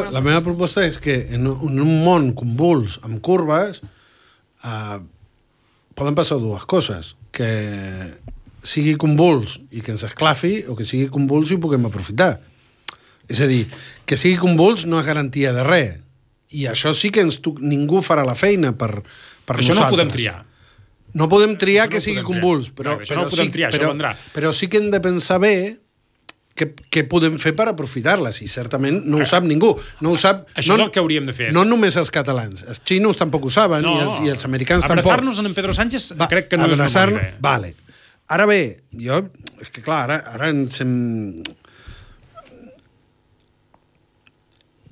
La meva proposta és que en un món convuls, amb curves, poden passar dues coses. Que sigui convuls i que ens esclafi, o que sigui convuls i ho puguem aprofitar. És a dir, que sigui convuls no és garantia de res. I això sí que ningú farà la feina per això nosaltres. No podem triar. No podem triar que sigui convuls, però sí que hem de pensar bé què podem fer per aprofitar-les, i certament no ho sap ningú. Això és el que hauríem de fer. No només els catalans, els xinos tampoc ho saben, i els americans tampoc. Abraçar-nos en Pedro Sánchez crec que no és una bona idea. Vale. Ara bé, és que clar, ara ens hem...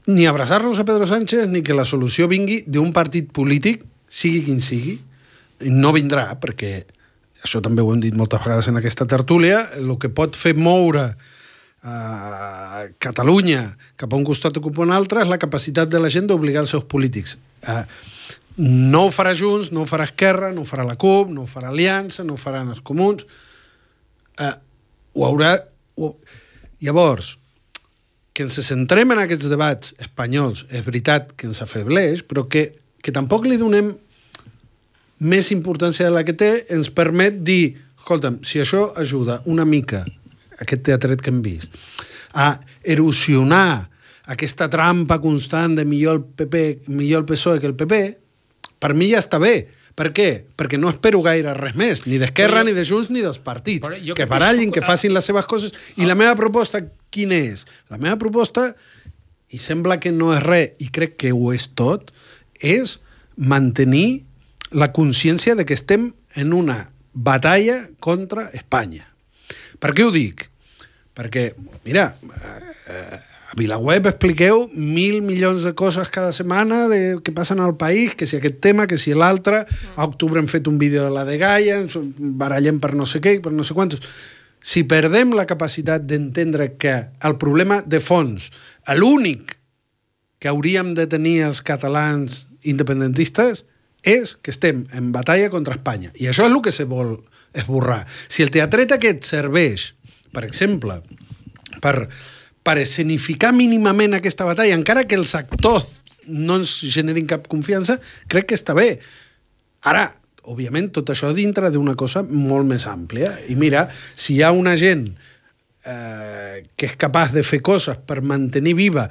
Ni abraçar-nos a Pedro Sánchez ni que la solució vingui d'un partit polític, sigui quin sigui, no vindrà, perquè això també ho hem dit moltes vegades en aquesta tertúlia, el que pot fer moure Catalunya cap a un costat o cap a un altre és la capacitat de la gent d'obligar els seus polítics. No ho farà Junts, no ho farà Esquerra, no ho farà la CUP, no ho farà Aliança, no ho faran els comuns. Llavors, que ens centrem en aquests debats espanyols és veritat que ens afebleix, però que tampoc li donem més importància de la que té, ens permet dir, escolta'm, si això ajuda una mica, aquest teatret que hem vist, a erosionar aquesta trampa constant de millor el PSOE que el PP, per mi ja està bé. Per què? Perquè no espero gaire res més, ni d'Esquerra, ni de Junts, ni dels partits. Que barallin, que facin les seves coses. I la meva proposta, quina és? La meva proposta, i sembla que no és res, i crec que ho és tot, és mantenir la consciència de que estem en una batalla contra Espanya. Per què ho dic? Perquè, mira, a VilaWeb expliqueu 1.000 milions de coses cada setmana que passen al país, que si aquest tema, que si l'altre. A octubre hem fet un vídeo de la de Gaia, ens barallem per no sé què, per no sé quantos. Si perdem la capacitat d'entendre que el problema de fons, l'únic que hauríem de tenir els catalans independentistes, és que estem en batalla contra Espanya. I això és el que se vol esborrar. Si el teatret aquest serveix, per exemple, per escenificar mínimament aquesta batalla, encara que els actors no ens generin cap confiança, crec que està bé. Ara, òbviament, tot això dintre d'una cosa molt més àmplia. I mira, si hi ha una gent que és capaç de fer coses per mantenir viva,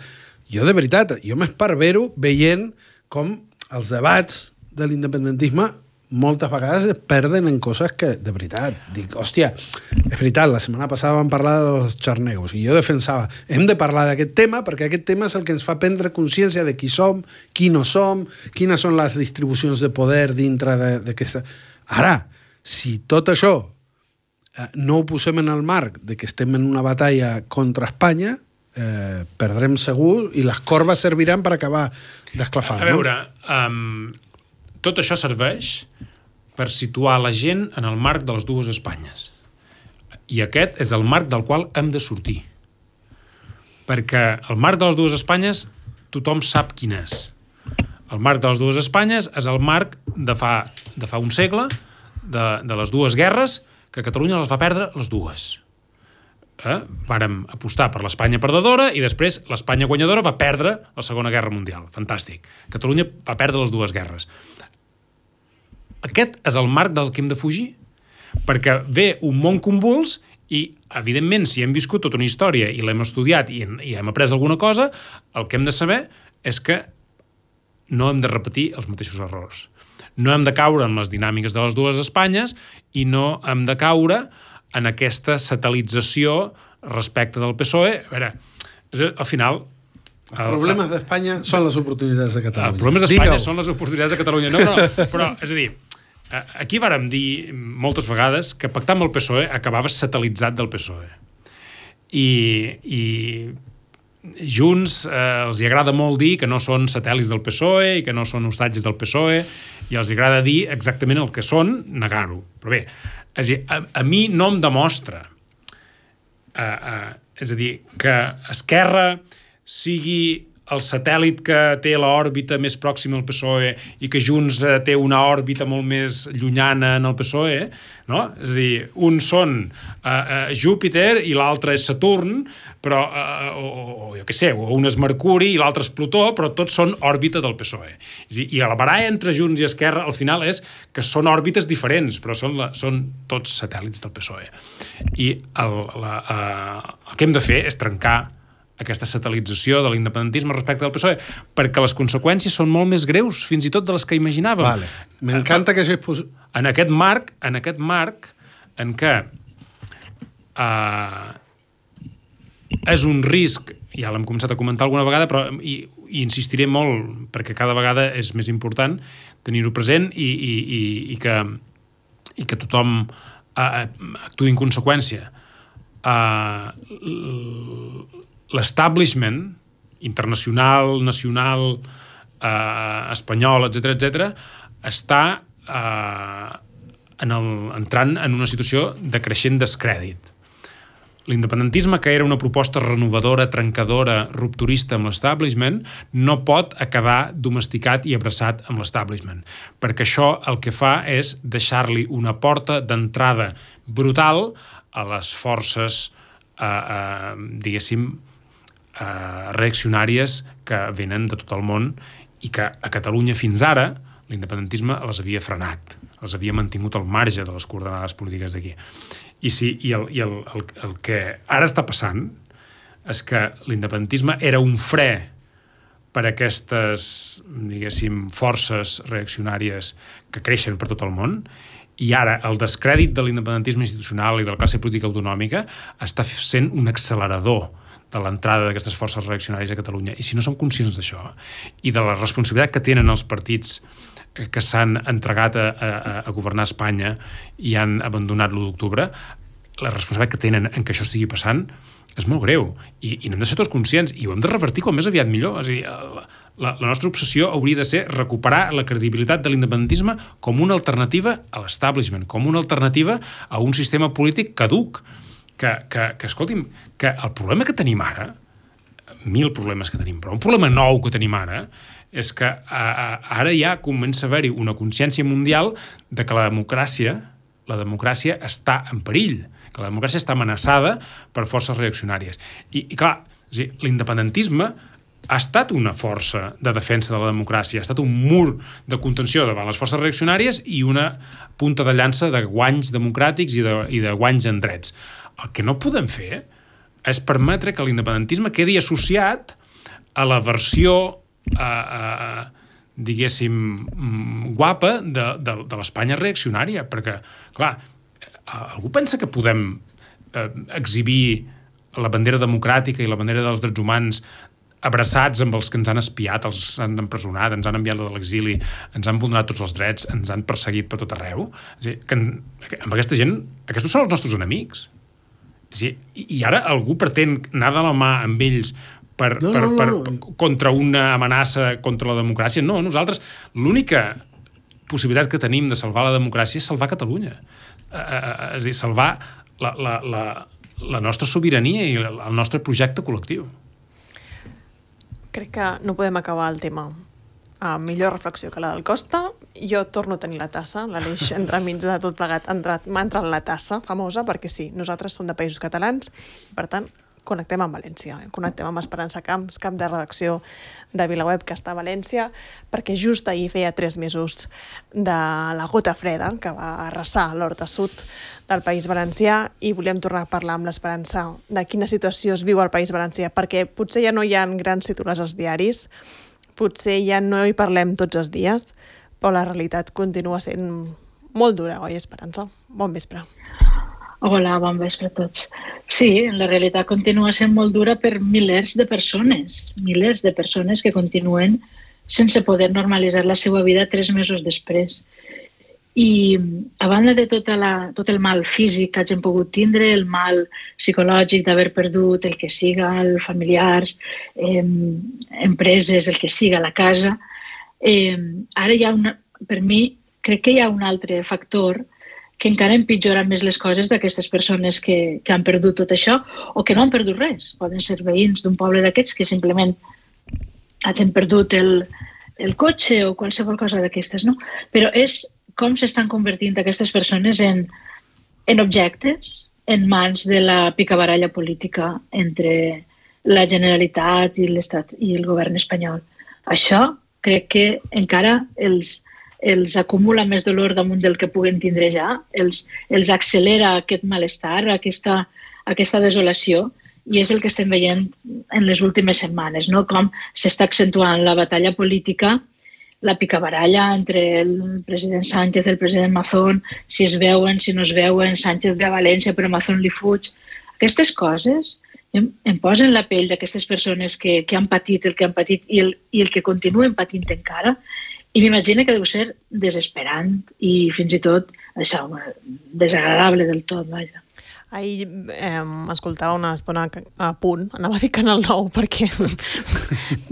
jo de veritat, jo m'esparvero veient com els debats de l'independentisme moltes vegades es perden en coses que, de veritat, dic, hòstia, és veritat, la setmana passada vam parlar dels xarnegos i jo defensava, hem de parlar d'aquest tema perquè aquest tema és el que ens fa prendre consciència de qui som, qui no som, quines són les distribucions de poder dintre d'aquesta... Ara, si tot això no ho posem en el marc de que estem en una batalla contra Espanya, perdrem segur i les corbes serviran per acabar d'esclafar. A veure, tot això serveix per situar la gent en el marc de les dues Espanyes. I aquest és el marc del qual hem de sortir. Perquè el marc de les dues Espanyes tothom sap quin és. El marc de les dues Espanyes és el marc de fa un segle, de les dues guerres, que Catalunya les va perdre les dues. Vàrem apostar per l'Espanya perdedora i després l'Espanya guanyadora va perdre la Segona Guerra Mundial. Fantàstic. Catalunya va perdre les dues guerres. aquest és el marc del que hem de fugir, perquè ve un món convuls i, evidentment, si hem viscut tota una història i l'hem estudiat i hem après alguna cosa, el que hem de saber és que no hem de repetir els mateixos errors. No hem de caure en les dinàmiques de les dues Espanyes i no hem de caure en aquesta satelització respecte del PSOE. A veure, al final... Els problemes d'Espanya són les oportunitats de Catalunya. Els problemes d'Espanya són les oportunitats de Catalunya. No, però, és a dir, aquí vàrem dir moltes vegades que pactar amb el PSOE acabava satellitzat del PSOE. I Junts els hi agrada molt dir que no són satèl·lits del PSOE i que no són hostatges del PSOE, i els agrada dir exactament el que són, negar-ho. Però bé, és a dir, a mi no em demostra, és a dir, que Esquerra sigui el satèl·lit que té l'òrbita més pròxima al PSOE i que Junts té una òrbita molt més llunyana en el PSOE, no? És a dir, uns són Júpiter i l'altre és Saturn, però, o jo què sé, o un és Mercuri i l'altre és Plutó, però tots són òrbita del PSOE. És a dir, i la baralla entre Junts i Esquerra al final és que són òrbites diferents, però són tots satèl·lits del PSOE. I el que hem de fer és trencar aquesta satelització de l'independentisme respecte del PSOE, perquè les conseqüències són molt més greus, fins i tot de les que imaginàvem. Vale. M'encanta que això és... En aquest marc en què és un risc, ja l'hem començat a comentar alguna vegada, però i insistiré molt, perquè cada vegada és més important tenir-ho present i que tothom actuï en conseqüència. L'establishment internacional, nacional, espanyol, etc., està entrant en una situació de creixent descrèdit. L'independentisme, que era una proposta renovadora, trencadora, rupturista amb l'establishment, no pot acabar domesticat i abraçat amb l'establishment, perquè això el que fa és deixar-li una porta d'entrada brutal a les forces, diguéssim, reaccionàries que venen de tot el món i que a Catalunya fins ara l'independentisme les havia frenat, els havia mantingut al marge de les coordenades polítiques d'aquí. I el que ara està passant és que l'independentisme era un fre per a aquestes, diguéssim, forces reaccionàries que creixen per tot el món, i ara el descrèdit de l'independentisme institucional i de la classe política autonòmica està sent un accelerador de l'entrada d'aquestes forces reaccionàries a Catalunya. I si no som conscients d'això i de la responsabilitat que tenen els partits que s'han entregat a governar Espanya i han abandonat l'1 d'octubre, la responsabilitat que tenen en que això estigui passant és molt greu. I n'hem de ser tots conscients i ho hem de revertir com més aviat millor. És a dir, la nostra obsessió hauria de ser recuperar la credibilitat de l'independentisme com una alternativa a l'establishment, com una alternativa a un sistema polític caduc. Que escolti'm, que el problema que tenim ara, 1000 problemes que tenim, però un problema nou que tenim ara, és que ara ja comença a haver-hi una consciència mundial de que la democràcia està en perill, que la democràcia està amenaçada per forces reaccionàries. I clar, l'independentisme ha estat una força de defensa de la democràcia, ha estat un mur de contenció davant les forces reaccionàries i una punta de llança de guanys democràtics i de guanys en drets. El que no podem fer és permetre que l'independentisme quedi associat a la versió, diguéssim, guapa de l'Espanya reaccionària, perquè, clar, algú pensa que podem exhibir la bandera democràtica i la bandera dels drets humans abraçats amb els que ens han espiat, els han empresonat, ens han enviat de l'exili, ens han vulnerat tots els drets, ens han perseguit per tot arreu? És a dir, que amb aquesta gent, aquests són els nostres enemics. I ara algú pretén anar de la mà amb ells contra una amenaça contra la democràcia. No, nosaltres l'única possibilitat que tenim de salvar la democràcia és salvar Catalunya. És a dir, salvar la nostra sobirania i el nostre projecte col·lectiu. Crec que no podem acabar el tema amb millor reflexió que la del Costa. Jo torno a tenir la tassa, l'Aleix entremig de tot plegat m'ha entrat la tassa famosa, perquè sí, nosaltres som de Països Catalans, i per tant connectem amb València, connectem amb Esperança Camps, cap de redacció de VilaWeb, que està a València, perquè just ahir feia 3 mesos de la gota freda que va arrasar l'Horta Sud del País Valencià, i volíem tornar a parlar amb l'Esperança de quina situació es viu al País Valencià, perquè potser ja no hi ha grans titulars als diaris, potser ja no hi parlem tots els dies, però la realitat continua sent molt dura, oi, Esperança? Bon vespre. Hola, bon vespre a tots. Sí, la realitat continua sent molt dura per milers de persones que continuen sense poder normalitzar la seva vida 3 mesos després. I a banda de tot el mal físic que hagin pogut tindre, el mal psicològic d'haver perdut el que siga, els familiars, empreses, el que siga, la casa, ara hi ha per mi, crec que hi ha un altre factor que encara empitjora més les coses d'aquestes persones que han perdut tot això o que no han perdut res. Poden ser veïns d'un poble d'aquests que simplement hagin perdut el cotxe o qualsevol cosa d'aquestes, no? Però és com s'estan convertint aquestes persones en objectes en mans de la picabaralla política entre la Generalitat i l'Estat i el govern espanyol. Això crec que encara els acumula més dolor damunt del que puguen tindre ja, els accelera aquest malestar, aquesta desolació, i és el que estem veient en les últimes setmanes, no? Com s'està accentuant la batalla política, la picabaralla entre el president Sánchez i el president Mazón, si es veuen, si no es veuen, Sánchez ve a València però Mazón li fuig. Aquestes coses em posen la pell d'aquestes persones que han patit el que han patit i el que continuen patint encara. I m'imagino que deu ser desesperant i fins i tot això, desagradable del tot, vaja. Ahir escoltava una estona a Punt, anava a dir Canal 9, perquè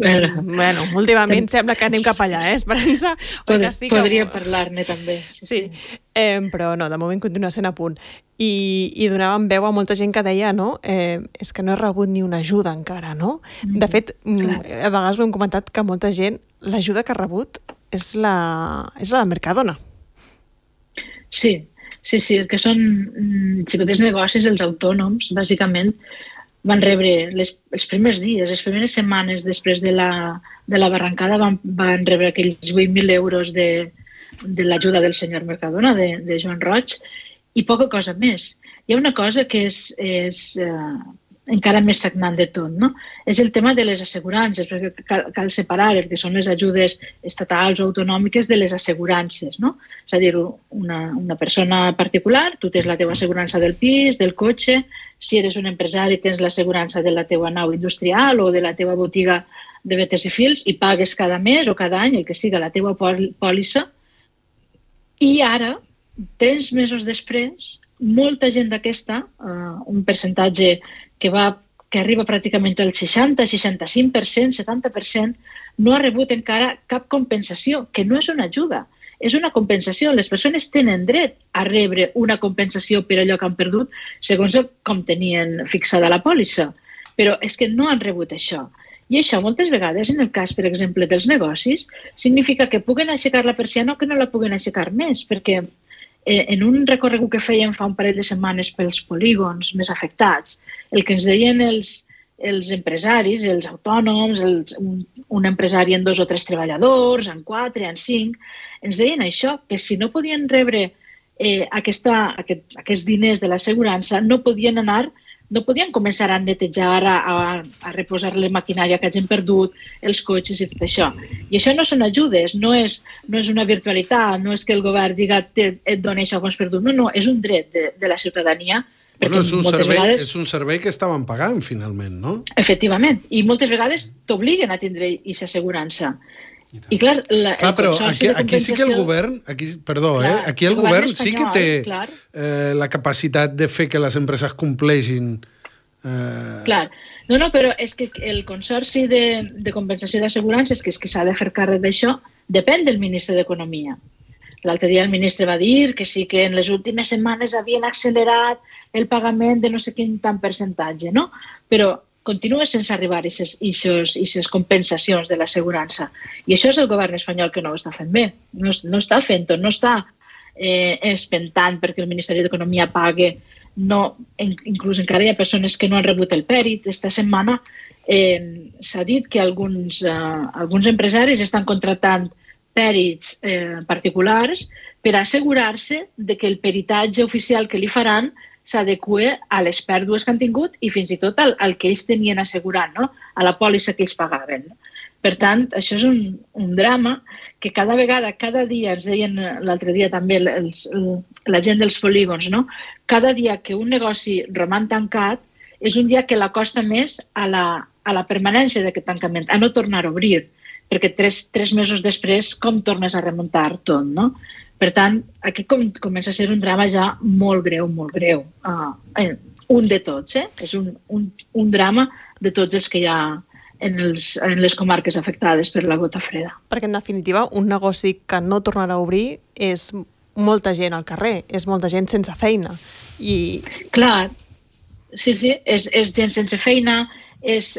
bueno, últimament sembla que anem cap allà, Esperança? Podria parlar-ne també. Sí. Però no, de moment continua sent a Punt. I donàvem veu a molta gent que deia, no? És que no he rebut ni una ajuda encara, no? De fet, a vegades ho hem comentat que molta gent, l'ajuda que ha rebut és la de Mercadona. Sí, el que són xicotets negocis, els autònoms, bàsicament, van rebre els primers dies, les primeres setmanes després de la barrancada van rebre aquells 8.000 euros de l'ajuda del senyor Mercadona, de Joan Roig, i poca cosa més. Hi ha una cosa que és encara més sagnant de tot, no? És el tema de les assegurances, perquè cal separar el que són les ajudes estatals o autonòmiques de les assegurances, no? És a dir, una persona particular, tu tens la teva assegurança del pis, del cotxe, si eres un empresari tens l'assegurança de la teva nau industrial o de la teva botiga de vetes i fils i pagues cada mes o cada any, el que siga la teva pòlissa, i ara, 3 mesos després, molta gent d'aquesta, un percentatge que arriba pràcticament al 60, 65%, 70%, no ha rebut encara cap compensació, que no és una ajuda, és una compensació. Les persones tenen dret a rebre una compensació per allò que han perdut, segons com tenien fixada la pòlissa, però és que no han rebut això. I això moltes vegades, en el cas, per exemple, dels negocis, significa que puguen aixecar la persiana o que no la puguen aixecar més, perquè en un recorregut que fèiem fa un parell de setmanes pels polígons més afectats, el que ens deien els empresaris, els autònoms, un empresari amb 2 o 3 treballadors, amb 4, amb 5, ens deien això, que si no podien rebre aquests diners de l'assegurança, no podien començar a netejar, a reposar la maquinària que hagin perdut, els cotxes i tot això. I això no són ajudes, no és una virtualitat, no és que el govern diga et dona això que has perdut, no, és un dret de la ciutadania. Bueno, és un servei que estaven pagant, finalment, no? Efectivament, i moltes vegades t'obliguen a tindre aquesta assegurança. I clar, però aquí sí que el govern, aquí el govern sí que té la capacitat de fer que les empreses compleixin. Clar, no, però és que el Consorci de Compensació d'Assegurances, que és que s'ha de fer càrrec d'això, depèn del ministre d'Economia. L'altre dia el ministre va dir que sí que en les últimes setmanes havien accelerat el pagament de no sé quin tant percentatge, no? Però continua sense arribar a aquestes compensacions de l'assegurança. I això és el govern espanyol que no ho està fent bé. No està fent-ho, no està espentant perquè el Ministeri d'Economia pague inclús encara hi ha persones que no han rebut el pèrit. Esta setmana s'ha dit que alguns empresaris estan contractant pèrits particulars per assegurar-se de que el peritatge oficial que li faran s'adequa a les pèrdues que han tingut i fins i tot al que ells tenien assegurat, no? A la pòlissa que ells pagaven. Per tant, això és un drama que cada vegada, cada dia, ens deien l'altre dia també la gent dels polígons, no? Cada dia que un negoci roman tancat és un dia que l'acosta més a la permanència d'aquest tancament, a no tornar a obrir, perquè 3 mesos després com tornes a remuntar tot, no? Per tant, aquí comença a ser un drama ja molt greu, molt greu. Un de tots, És un drama de tots els que hi ha en les comarques afectades per la gota freda. Perquè, en definitiva, un negoci que no tornarà a obrir és molta gent al carrer, és molta gent sense feina. Clar, sí, és gent sense feina, és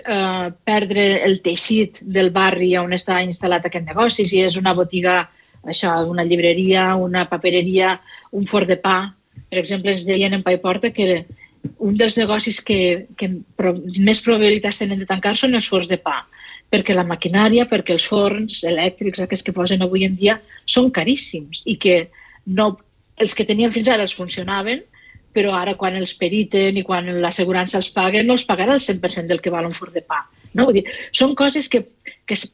perdre el teixit del barri on està instal·lat aquest negoci, si és una botiga, això, una llibreria, una papereria, un forn de pa. Per exemple, ens deien en Paiporta que un dels negocis que més probabilitats tenen de tancar són els forns de pa, perquè la maquinària, perquè els forns elèctrics, aquests que posen avui en dia, són caríssims i que els que tenien fins ara els funcionaven, però ara quan els periten i quan l'assegurança els paga, no els pagarà el 100% del que val un forn de pa. No? Vull dir, són coses que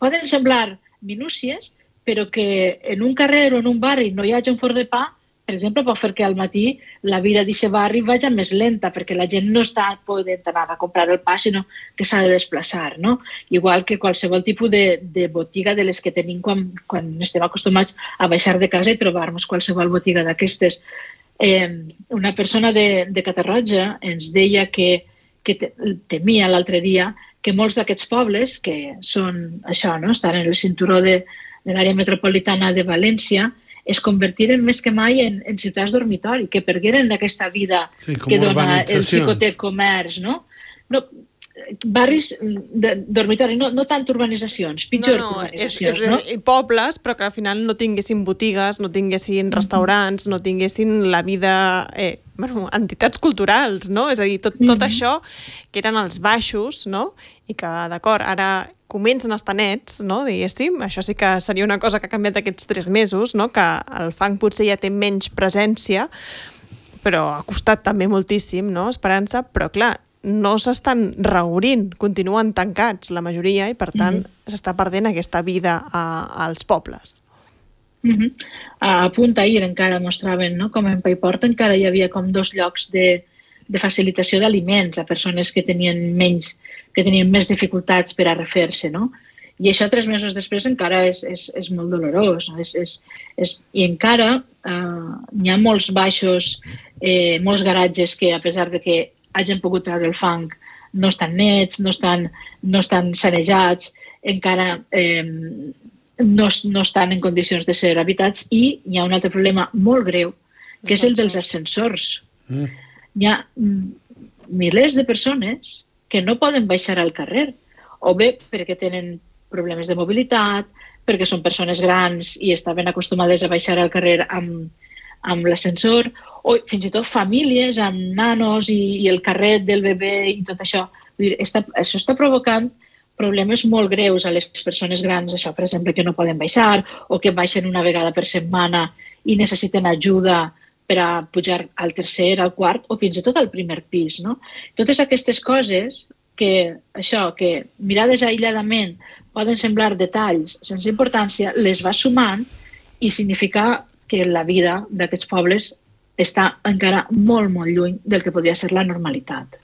poden semblar minúcies, però que en un carrer o en un barri no hi hagi un forn de pa, per exemple, pot fer que al matí la vida d'aquest barri vagi més lenta, perquè la gent no està podent anar a comprar el pa, sinó que s'ha de desplaçar, no? Igual que qualsevol tipus de botiga de les que tenim quan estem acostumats a baixar de casa i trobar-nos qualsevol botiga d'aquestes. Una persona de Catarroja ens deia que temia l'altre dia que molts d'aquests pobles, que són això, no? Estan en el cinturó de l'àrea metropolitana de València, es convertiren més que mai en ciutats dormitori, que pergueren aquesta vida que dona el xicotec comerç, no? Barris de dormitori, no tant urbanitzacions, pitjor urbanitzacions, no? Pobles, però que al final no tinguessin botigues, no tinguessin restaurants, no tinguessin la vida, entitats culturals, no? És a dir, tot això que eren els baixos, no? I que, d'acord, ara comencen a estar nets, no? Diguéssim, això sí que seria una cosa que ha canviat aquests 3 mesos, no? Que el fang potser ja té menys presència, però ha costat també moltíssim, no? Esperança, però clar, no s'estan reobrint, continuen tancats la majoria i per tant s'està perdent aquesta vida als pobles. A punt ahir encara mostraven, no? Com en Paiporta encara hi havia com 2 llocs de facilitació d'aliments a persones que tenien més dificultats per a refer-se, no? I això 3 mesos després encara és molt dolorós. I encara hi ha molts baixos, molts garatges que, a pesar de que hagin pogut treure el fang, no estan nets, no estan sanejats, encara no estan en condicions de ser habitats, i hi ha un altre problema molt greu, que és el dels ascensors. Hi ha milers de persones que no poden baixar al carrer, o bé perquè tenen problemes de mobilitat, perquè són persones grans i estaven acostumades a baixar al carrer amb l'ascensor, o fins i tot famílies amb nanos i el carret del bebè i tot això. Això està provocant problemes molt greus a les persones grans, això, per exemple, que no poden baixar o que baixen una vegada per setmana i necessiten ajuda per a pujar al 3è, al 4è o fins i tot al 1è pis, no? Totes aquestes coses que mirades aïlladament poden semblar detalls sense importància, les va sumant i significa que la vida d'aquests pobles està encara molt, molt lluny del que podria ser la normalitat.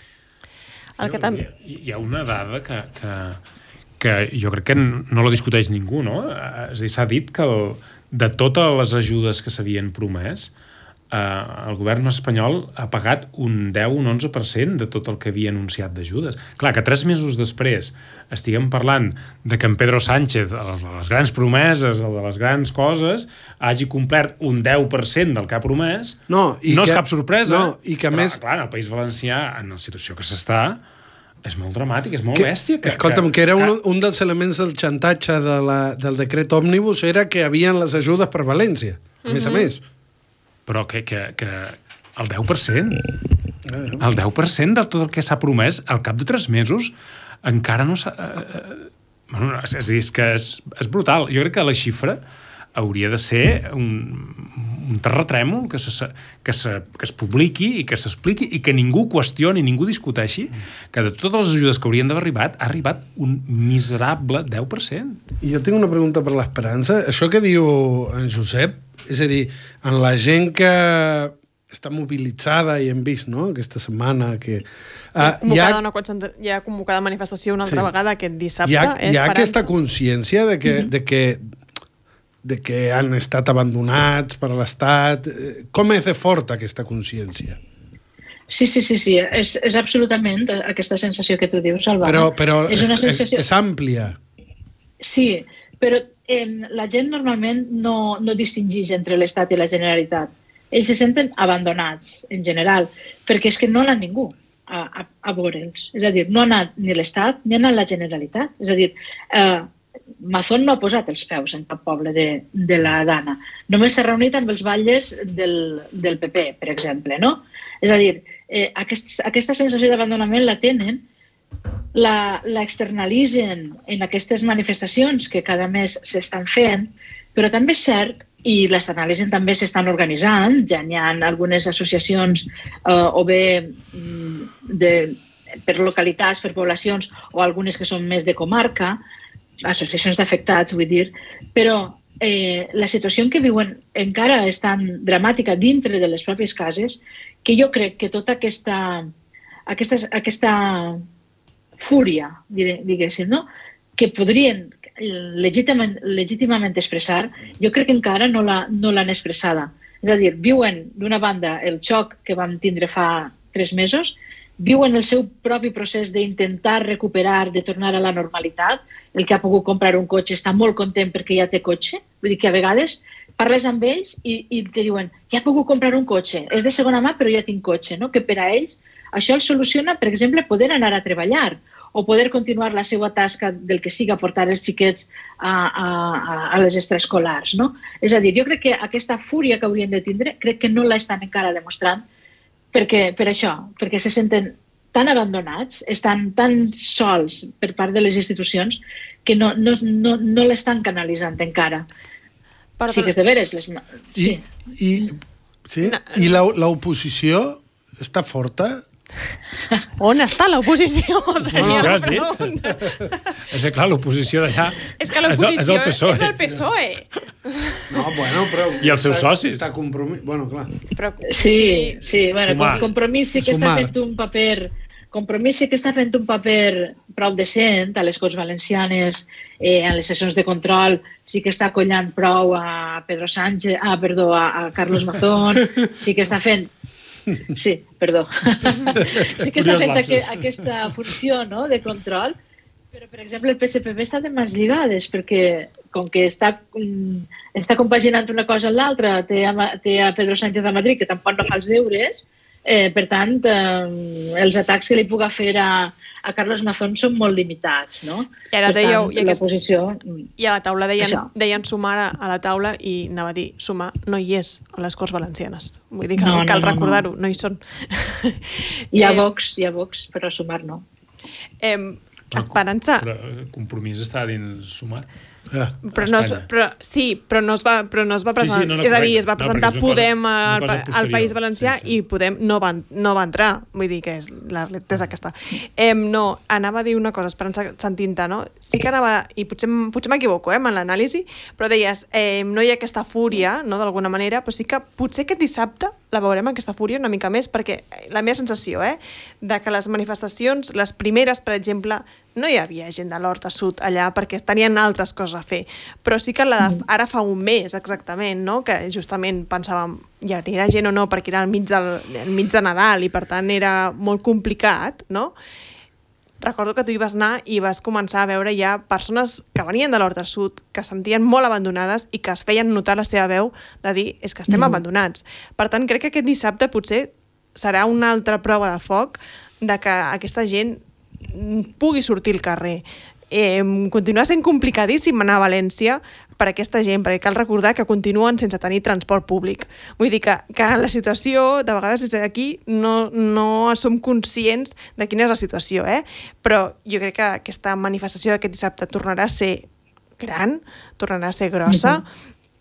Hi ha una dada que jo crec que no la discuteix ningú, no? És a dir, s'ha dit que de totes les ajudes que s'havien promès, el govern espanyol ha pagat un 10, un 11% de tot el que havia anunciat d'ajudes. Clar, que 3 mesos després estiguem parlant de que en Pedro Sánchez, les grans promeses, de les grans coses, hagi complert un 10% del que ha promès, no és cap sorpresa. No, i que però, més... clar, en el País Valencià, en la situació que s'està, és molt dramàtic, és molt bèstia. Escolta'm, que era un dels elements del xantatge del decret òmnibus era que havien les ajudes per València, a més a més. Però que el 10%... El 10% de tot el que s'ha promès, al cap de 3 mesos, encara no s'ha... Bueno, és que és brutal. Jo crec que la xifra hauria de ser un terratrèmol que es publiqui i que s'expliqui i que ningú qüestioni, ningú discuteixi que de totes les ajudes que haurien d'haver arribat, ha arribat un miserable 10%. I jo tinc una pregunta per l'Esperança. Això que diu en Josep, és a dir, en la gent que està mobilitzada i hem vist, no?, aquesta setmana que... Hi ha convocada manifestació una altra vegada aquest dissabte. Hi ha aquesta consciència de que han estat abandonats per l'Estat. Com és de forta aquesta consciència? Sí. És absolutament aquesta sensació que tu dius, Salvador. Però és una sensació... és àmplia. Sí, però la gent normalment no distingeix entre l'Estat i la Generalitat. Ells se senten abandonats, en general, perquè és que no ha anat ningú a veure'ls. És a dir, no ha anat ni l'Estat ni ha anat la Generalitat. És a dir, Mazón no ha posat els peus en cap poble de la Dana. Només s'ha reunit amb els batlles del PP, per exemple, no? És a dir, aquesta sensació d'abandonament la tenen, l'externalitzen en aquestes manifestacions que cada mes s'estan fent, però també és cert, i l'externalitzen també s'estan organitzant, ja n'hi ha algunes associacions o bé per localitats, per poblacions, o algunes que són més de comarca, associacions d'afectats, vull dir, però la situació en què viuen encara és tan dramàtica dintre de les pròpies cases que jo crec que tota aquesta fúria, diguéssim, no?, que podrien legítimament expressar, jo crec que encara no l'han expressada. És a dir, viuen d'una banda el xoc que vam tindre fa 3 mesos, viuen el seu propi procés d'intentar recuperar, de tornar a la normalitat. El que ha pogut comprar un cotxe està molt content perquè ja té cotxe. Vull dir que a vegades parles amb ells i te diuen ja he pogut comprar un cotxe, és de segona mà però ja tinc cotxe, no? Que per a ells això els soluciona, per exemple, poder anar a treballar o poder continuar la seva tasca del que siga, portar els xiquets a les extraescolars, no? És a dir, jo crec que aquesta fúria que haurien de tindre, crec que no la estan encara demostrant per això, perquè se senten tan abandonats, estan tan sols per part de les institucions que no l'estan canalitzant encara. Sí que és de veres. I l'oposició està forta? On està l'oposició? Això has dit? És que clar, l'oposició d'allà és el PSOE. És el PSOE. No, bueno, però... I els seus socis. Està compromís... Bueno, clar. Sí. Bueno, Compromís sí que està fent un paper... Compromís sí que està fent un paper prou decent a les Corts Valencianes, en les sessions de control, sí que està collant prou a Pedro Sánchez, a Carlos Mazón, sí que està fent... Sí, perdó. Sí que està fent aquesta funció, no?, de control, però, per exemple, el PSPB està de mans lligades, perquè com que està compaginant una cosa amb l'altra, té a Pedro Sánchez a Madrid, que tampoc no fa els deures, per tant, els atacs que li puga fer a Carlos Mazón són molt limitats, no? I ara dèieu... l'oposició... I a la taula deien sumar a la taula i anava a dir, sumar no hi és a les Corts Valencianes. Vull dir que cal recordar-ho, no hi són. Hi ha Vox, però sumar no. Esperança... Però Compromís està dins sumar. Però no es va presentar, és a dir, es va presentar Podem al País Valencià i Podem no va entrar, vull dir que la realitat és aquesta. No, anava a dir una cosa, Esperança, sentint-te, no? Sí que anava, i potser m'equivoco en l'anàlisi, però deies, no hi ha aquesta fúria, no, d'alguna manera, però sí que potser aquest dissabte la veurem aquesta fúria una mica més, perquè la meva sensació, de que les manifestacions, les primeres, per exemple, no hi havia gent de l'Horta Sud allà perquè tenien altres coses a fer, però sí que la de ara fa un mes exactament, no? Que justament pensàvem ja era gent o no perquè era al mig de Nadal i per tant era molt complicat, no? Recordo que tu hi vas anar i vas començar a veure ja persones que venien de l'Horta Sud, que es sentien molt abandonades i que es feien notar la seva veu de dir és que estem abandonats. Per tant, crec que aquest dissabte potser serà una altra prova de foc de que aquesta gent pugui sortir al carrer. Continua sent complicadíssim anar a València, per aquesta gent, perquè cal recordar que continuen sense tenir transport públic. Vull dir que la situació, de vegades des d'aquí, no som conscients de quina és la situació, però jo crec que aquesta manifestació d'aquest dissabte tornarà a ser gran, tornarà a ser grossa,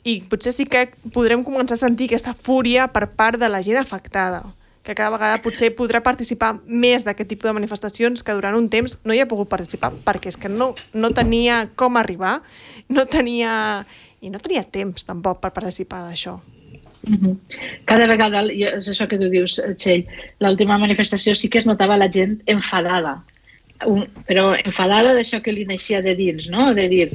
i potser sí que podrem començar a sentir aquesta fúria per part de la gent afectada, que cada vegada potser podrà participar més d'aquest tipus de manifestacions que durant un temps no hi ha pogut participar, perquè és que no tenia com arribar, no tenia temps tampoc per participar d'això. Cada vegada, és això que tu dius, Txell, l'última manifestació sí que es notava la gent enfadada, però enfadada d'això que li naixia de dins, no? De dir,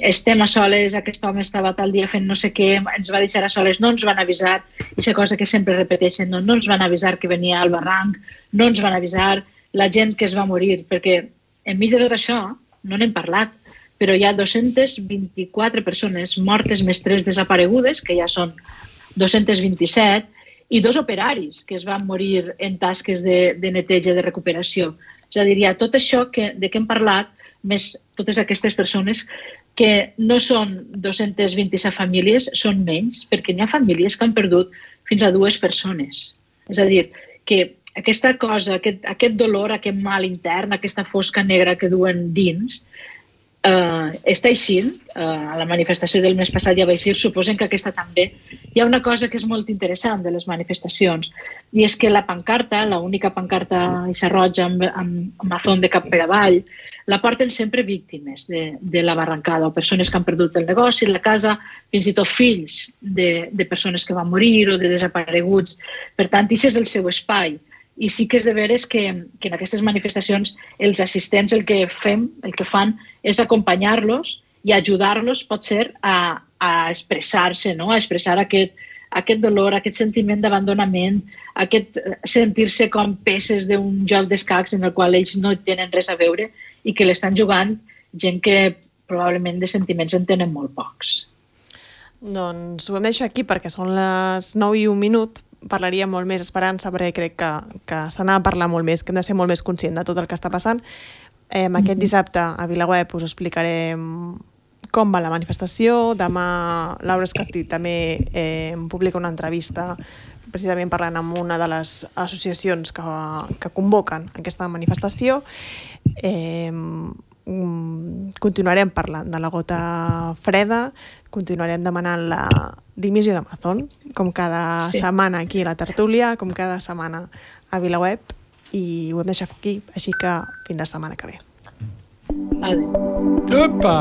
estem a soles, aquest home estava tal dia fent no sé què, ens va deixar a soles, no ens van avisar, aquesta cosa que sempre repeteixen, no ens van avisar que venia al barranc, no ens van avisar la gent que es va morir, perquè enmig de tot això no n'hem parlat, però hi ha 224 persones mortes més 3 desaparegudes, que ja són 227, i 2 operaris que es van morir en tasques de neteja, de recuperació. És a dir, hi ha tot això de què hem parlat, més totes aquestes persones que no són 227 famílies, són menys, perquè hi ha famílies que han perdut fins a 2 persones. És a dir, que aquesta cosa, aquest dolor, aquest mal intern, aquesta fosca negra que duen dins, està eixint, a la manifestació del mes passat ja va eixir, suposen que aquesta també. Hi ha una cosa que és molt interessant de les manifestacions, i és que la pancarta, l'única pancarta roja amb mazón de cap per avall, la porten sempre víctimes de la barrancada, o persones que han perdut el negoci, la casa, fins i tot fills de persones que van morir o de desapareguts. Per tant, aquest és el seu espai. I sí que és de veres que en aquestes manifestacions els assistents el que fan és acompanyar-los i ajudar-los, pot ser, a expressar-se, no? A expressar aquest dolor, aquest sentiment d'abandonament, aquest sentir-se com peces d'un joc d'escacs en el qual ells no tenen res a veure i que l'estan jugant gent que probablement de sentiments en tenen molt pocs. Doncs ho hem deixat aquí perquè són les 9:01. Parlaria molt més, Esperança, perquè crec que se n'ha de parlar molt més, que hem de ser molt més conscients de tot el que està passant. Aquest dissabte a VilaWeb us explicarem com va la manifestació. Demà Laura Escartí també publica una entrevista precisament parlant amb una de les associacions que convoquen aquesta manifestació. Continuarem parlant de la gota freda, continuarem demanant la dimissió de Mazón, com cada setmana aquí a la tertúlia, com cada setmana a VilaWeb, i ho hem deixat aquí, així que fins la setmana que ve. Vale. Opa!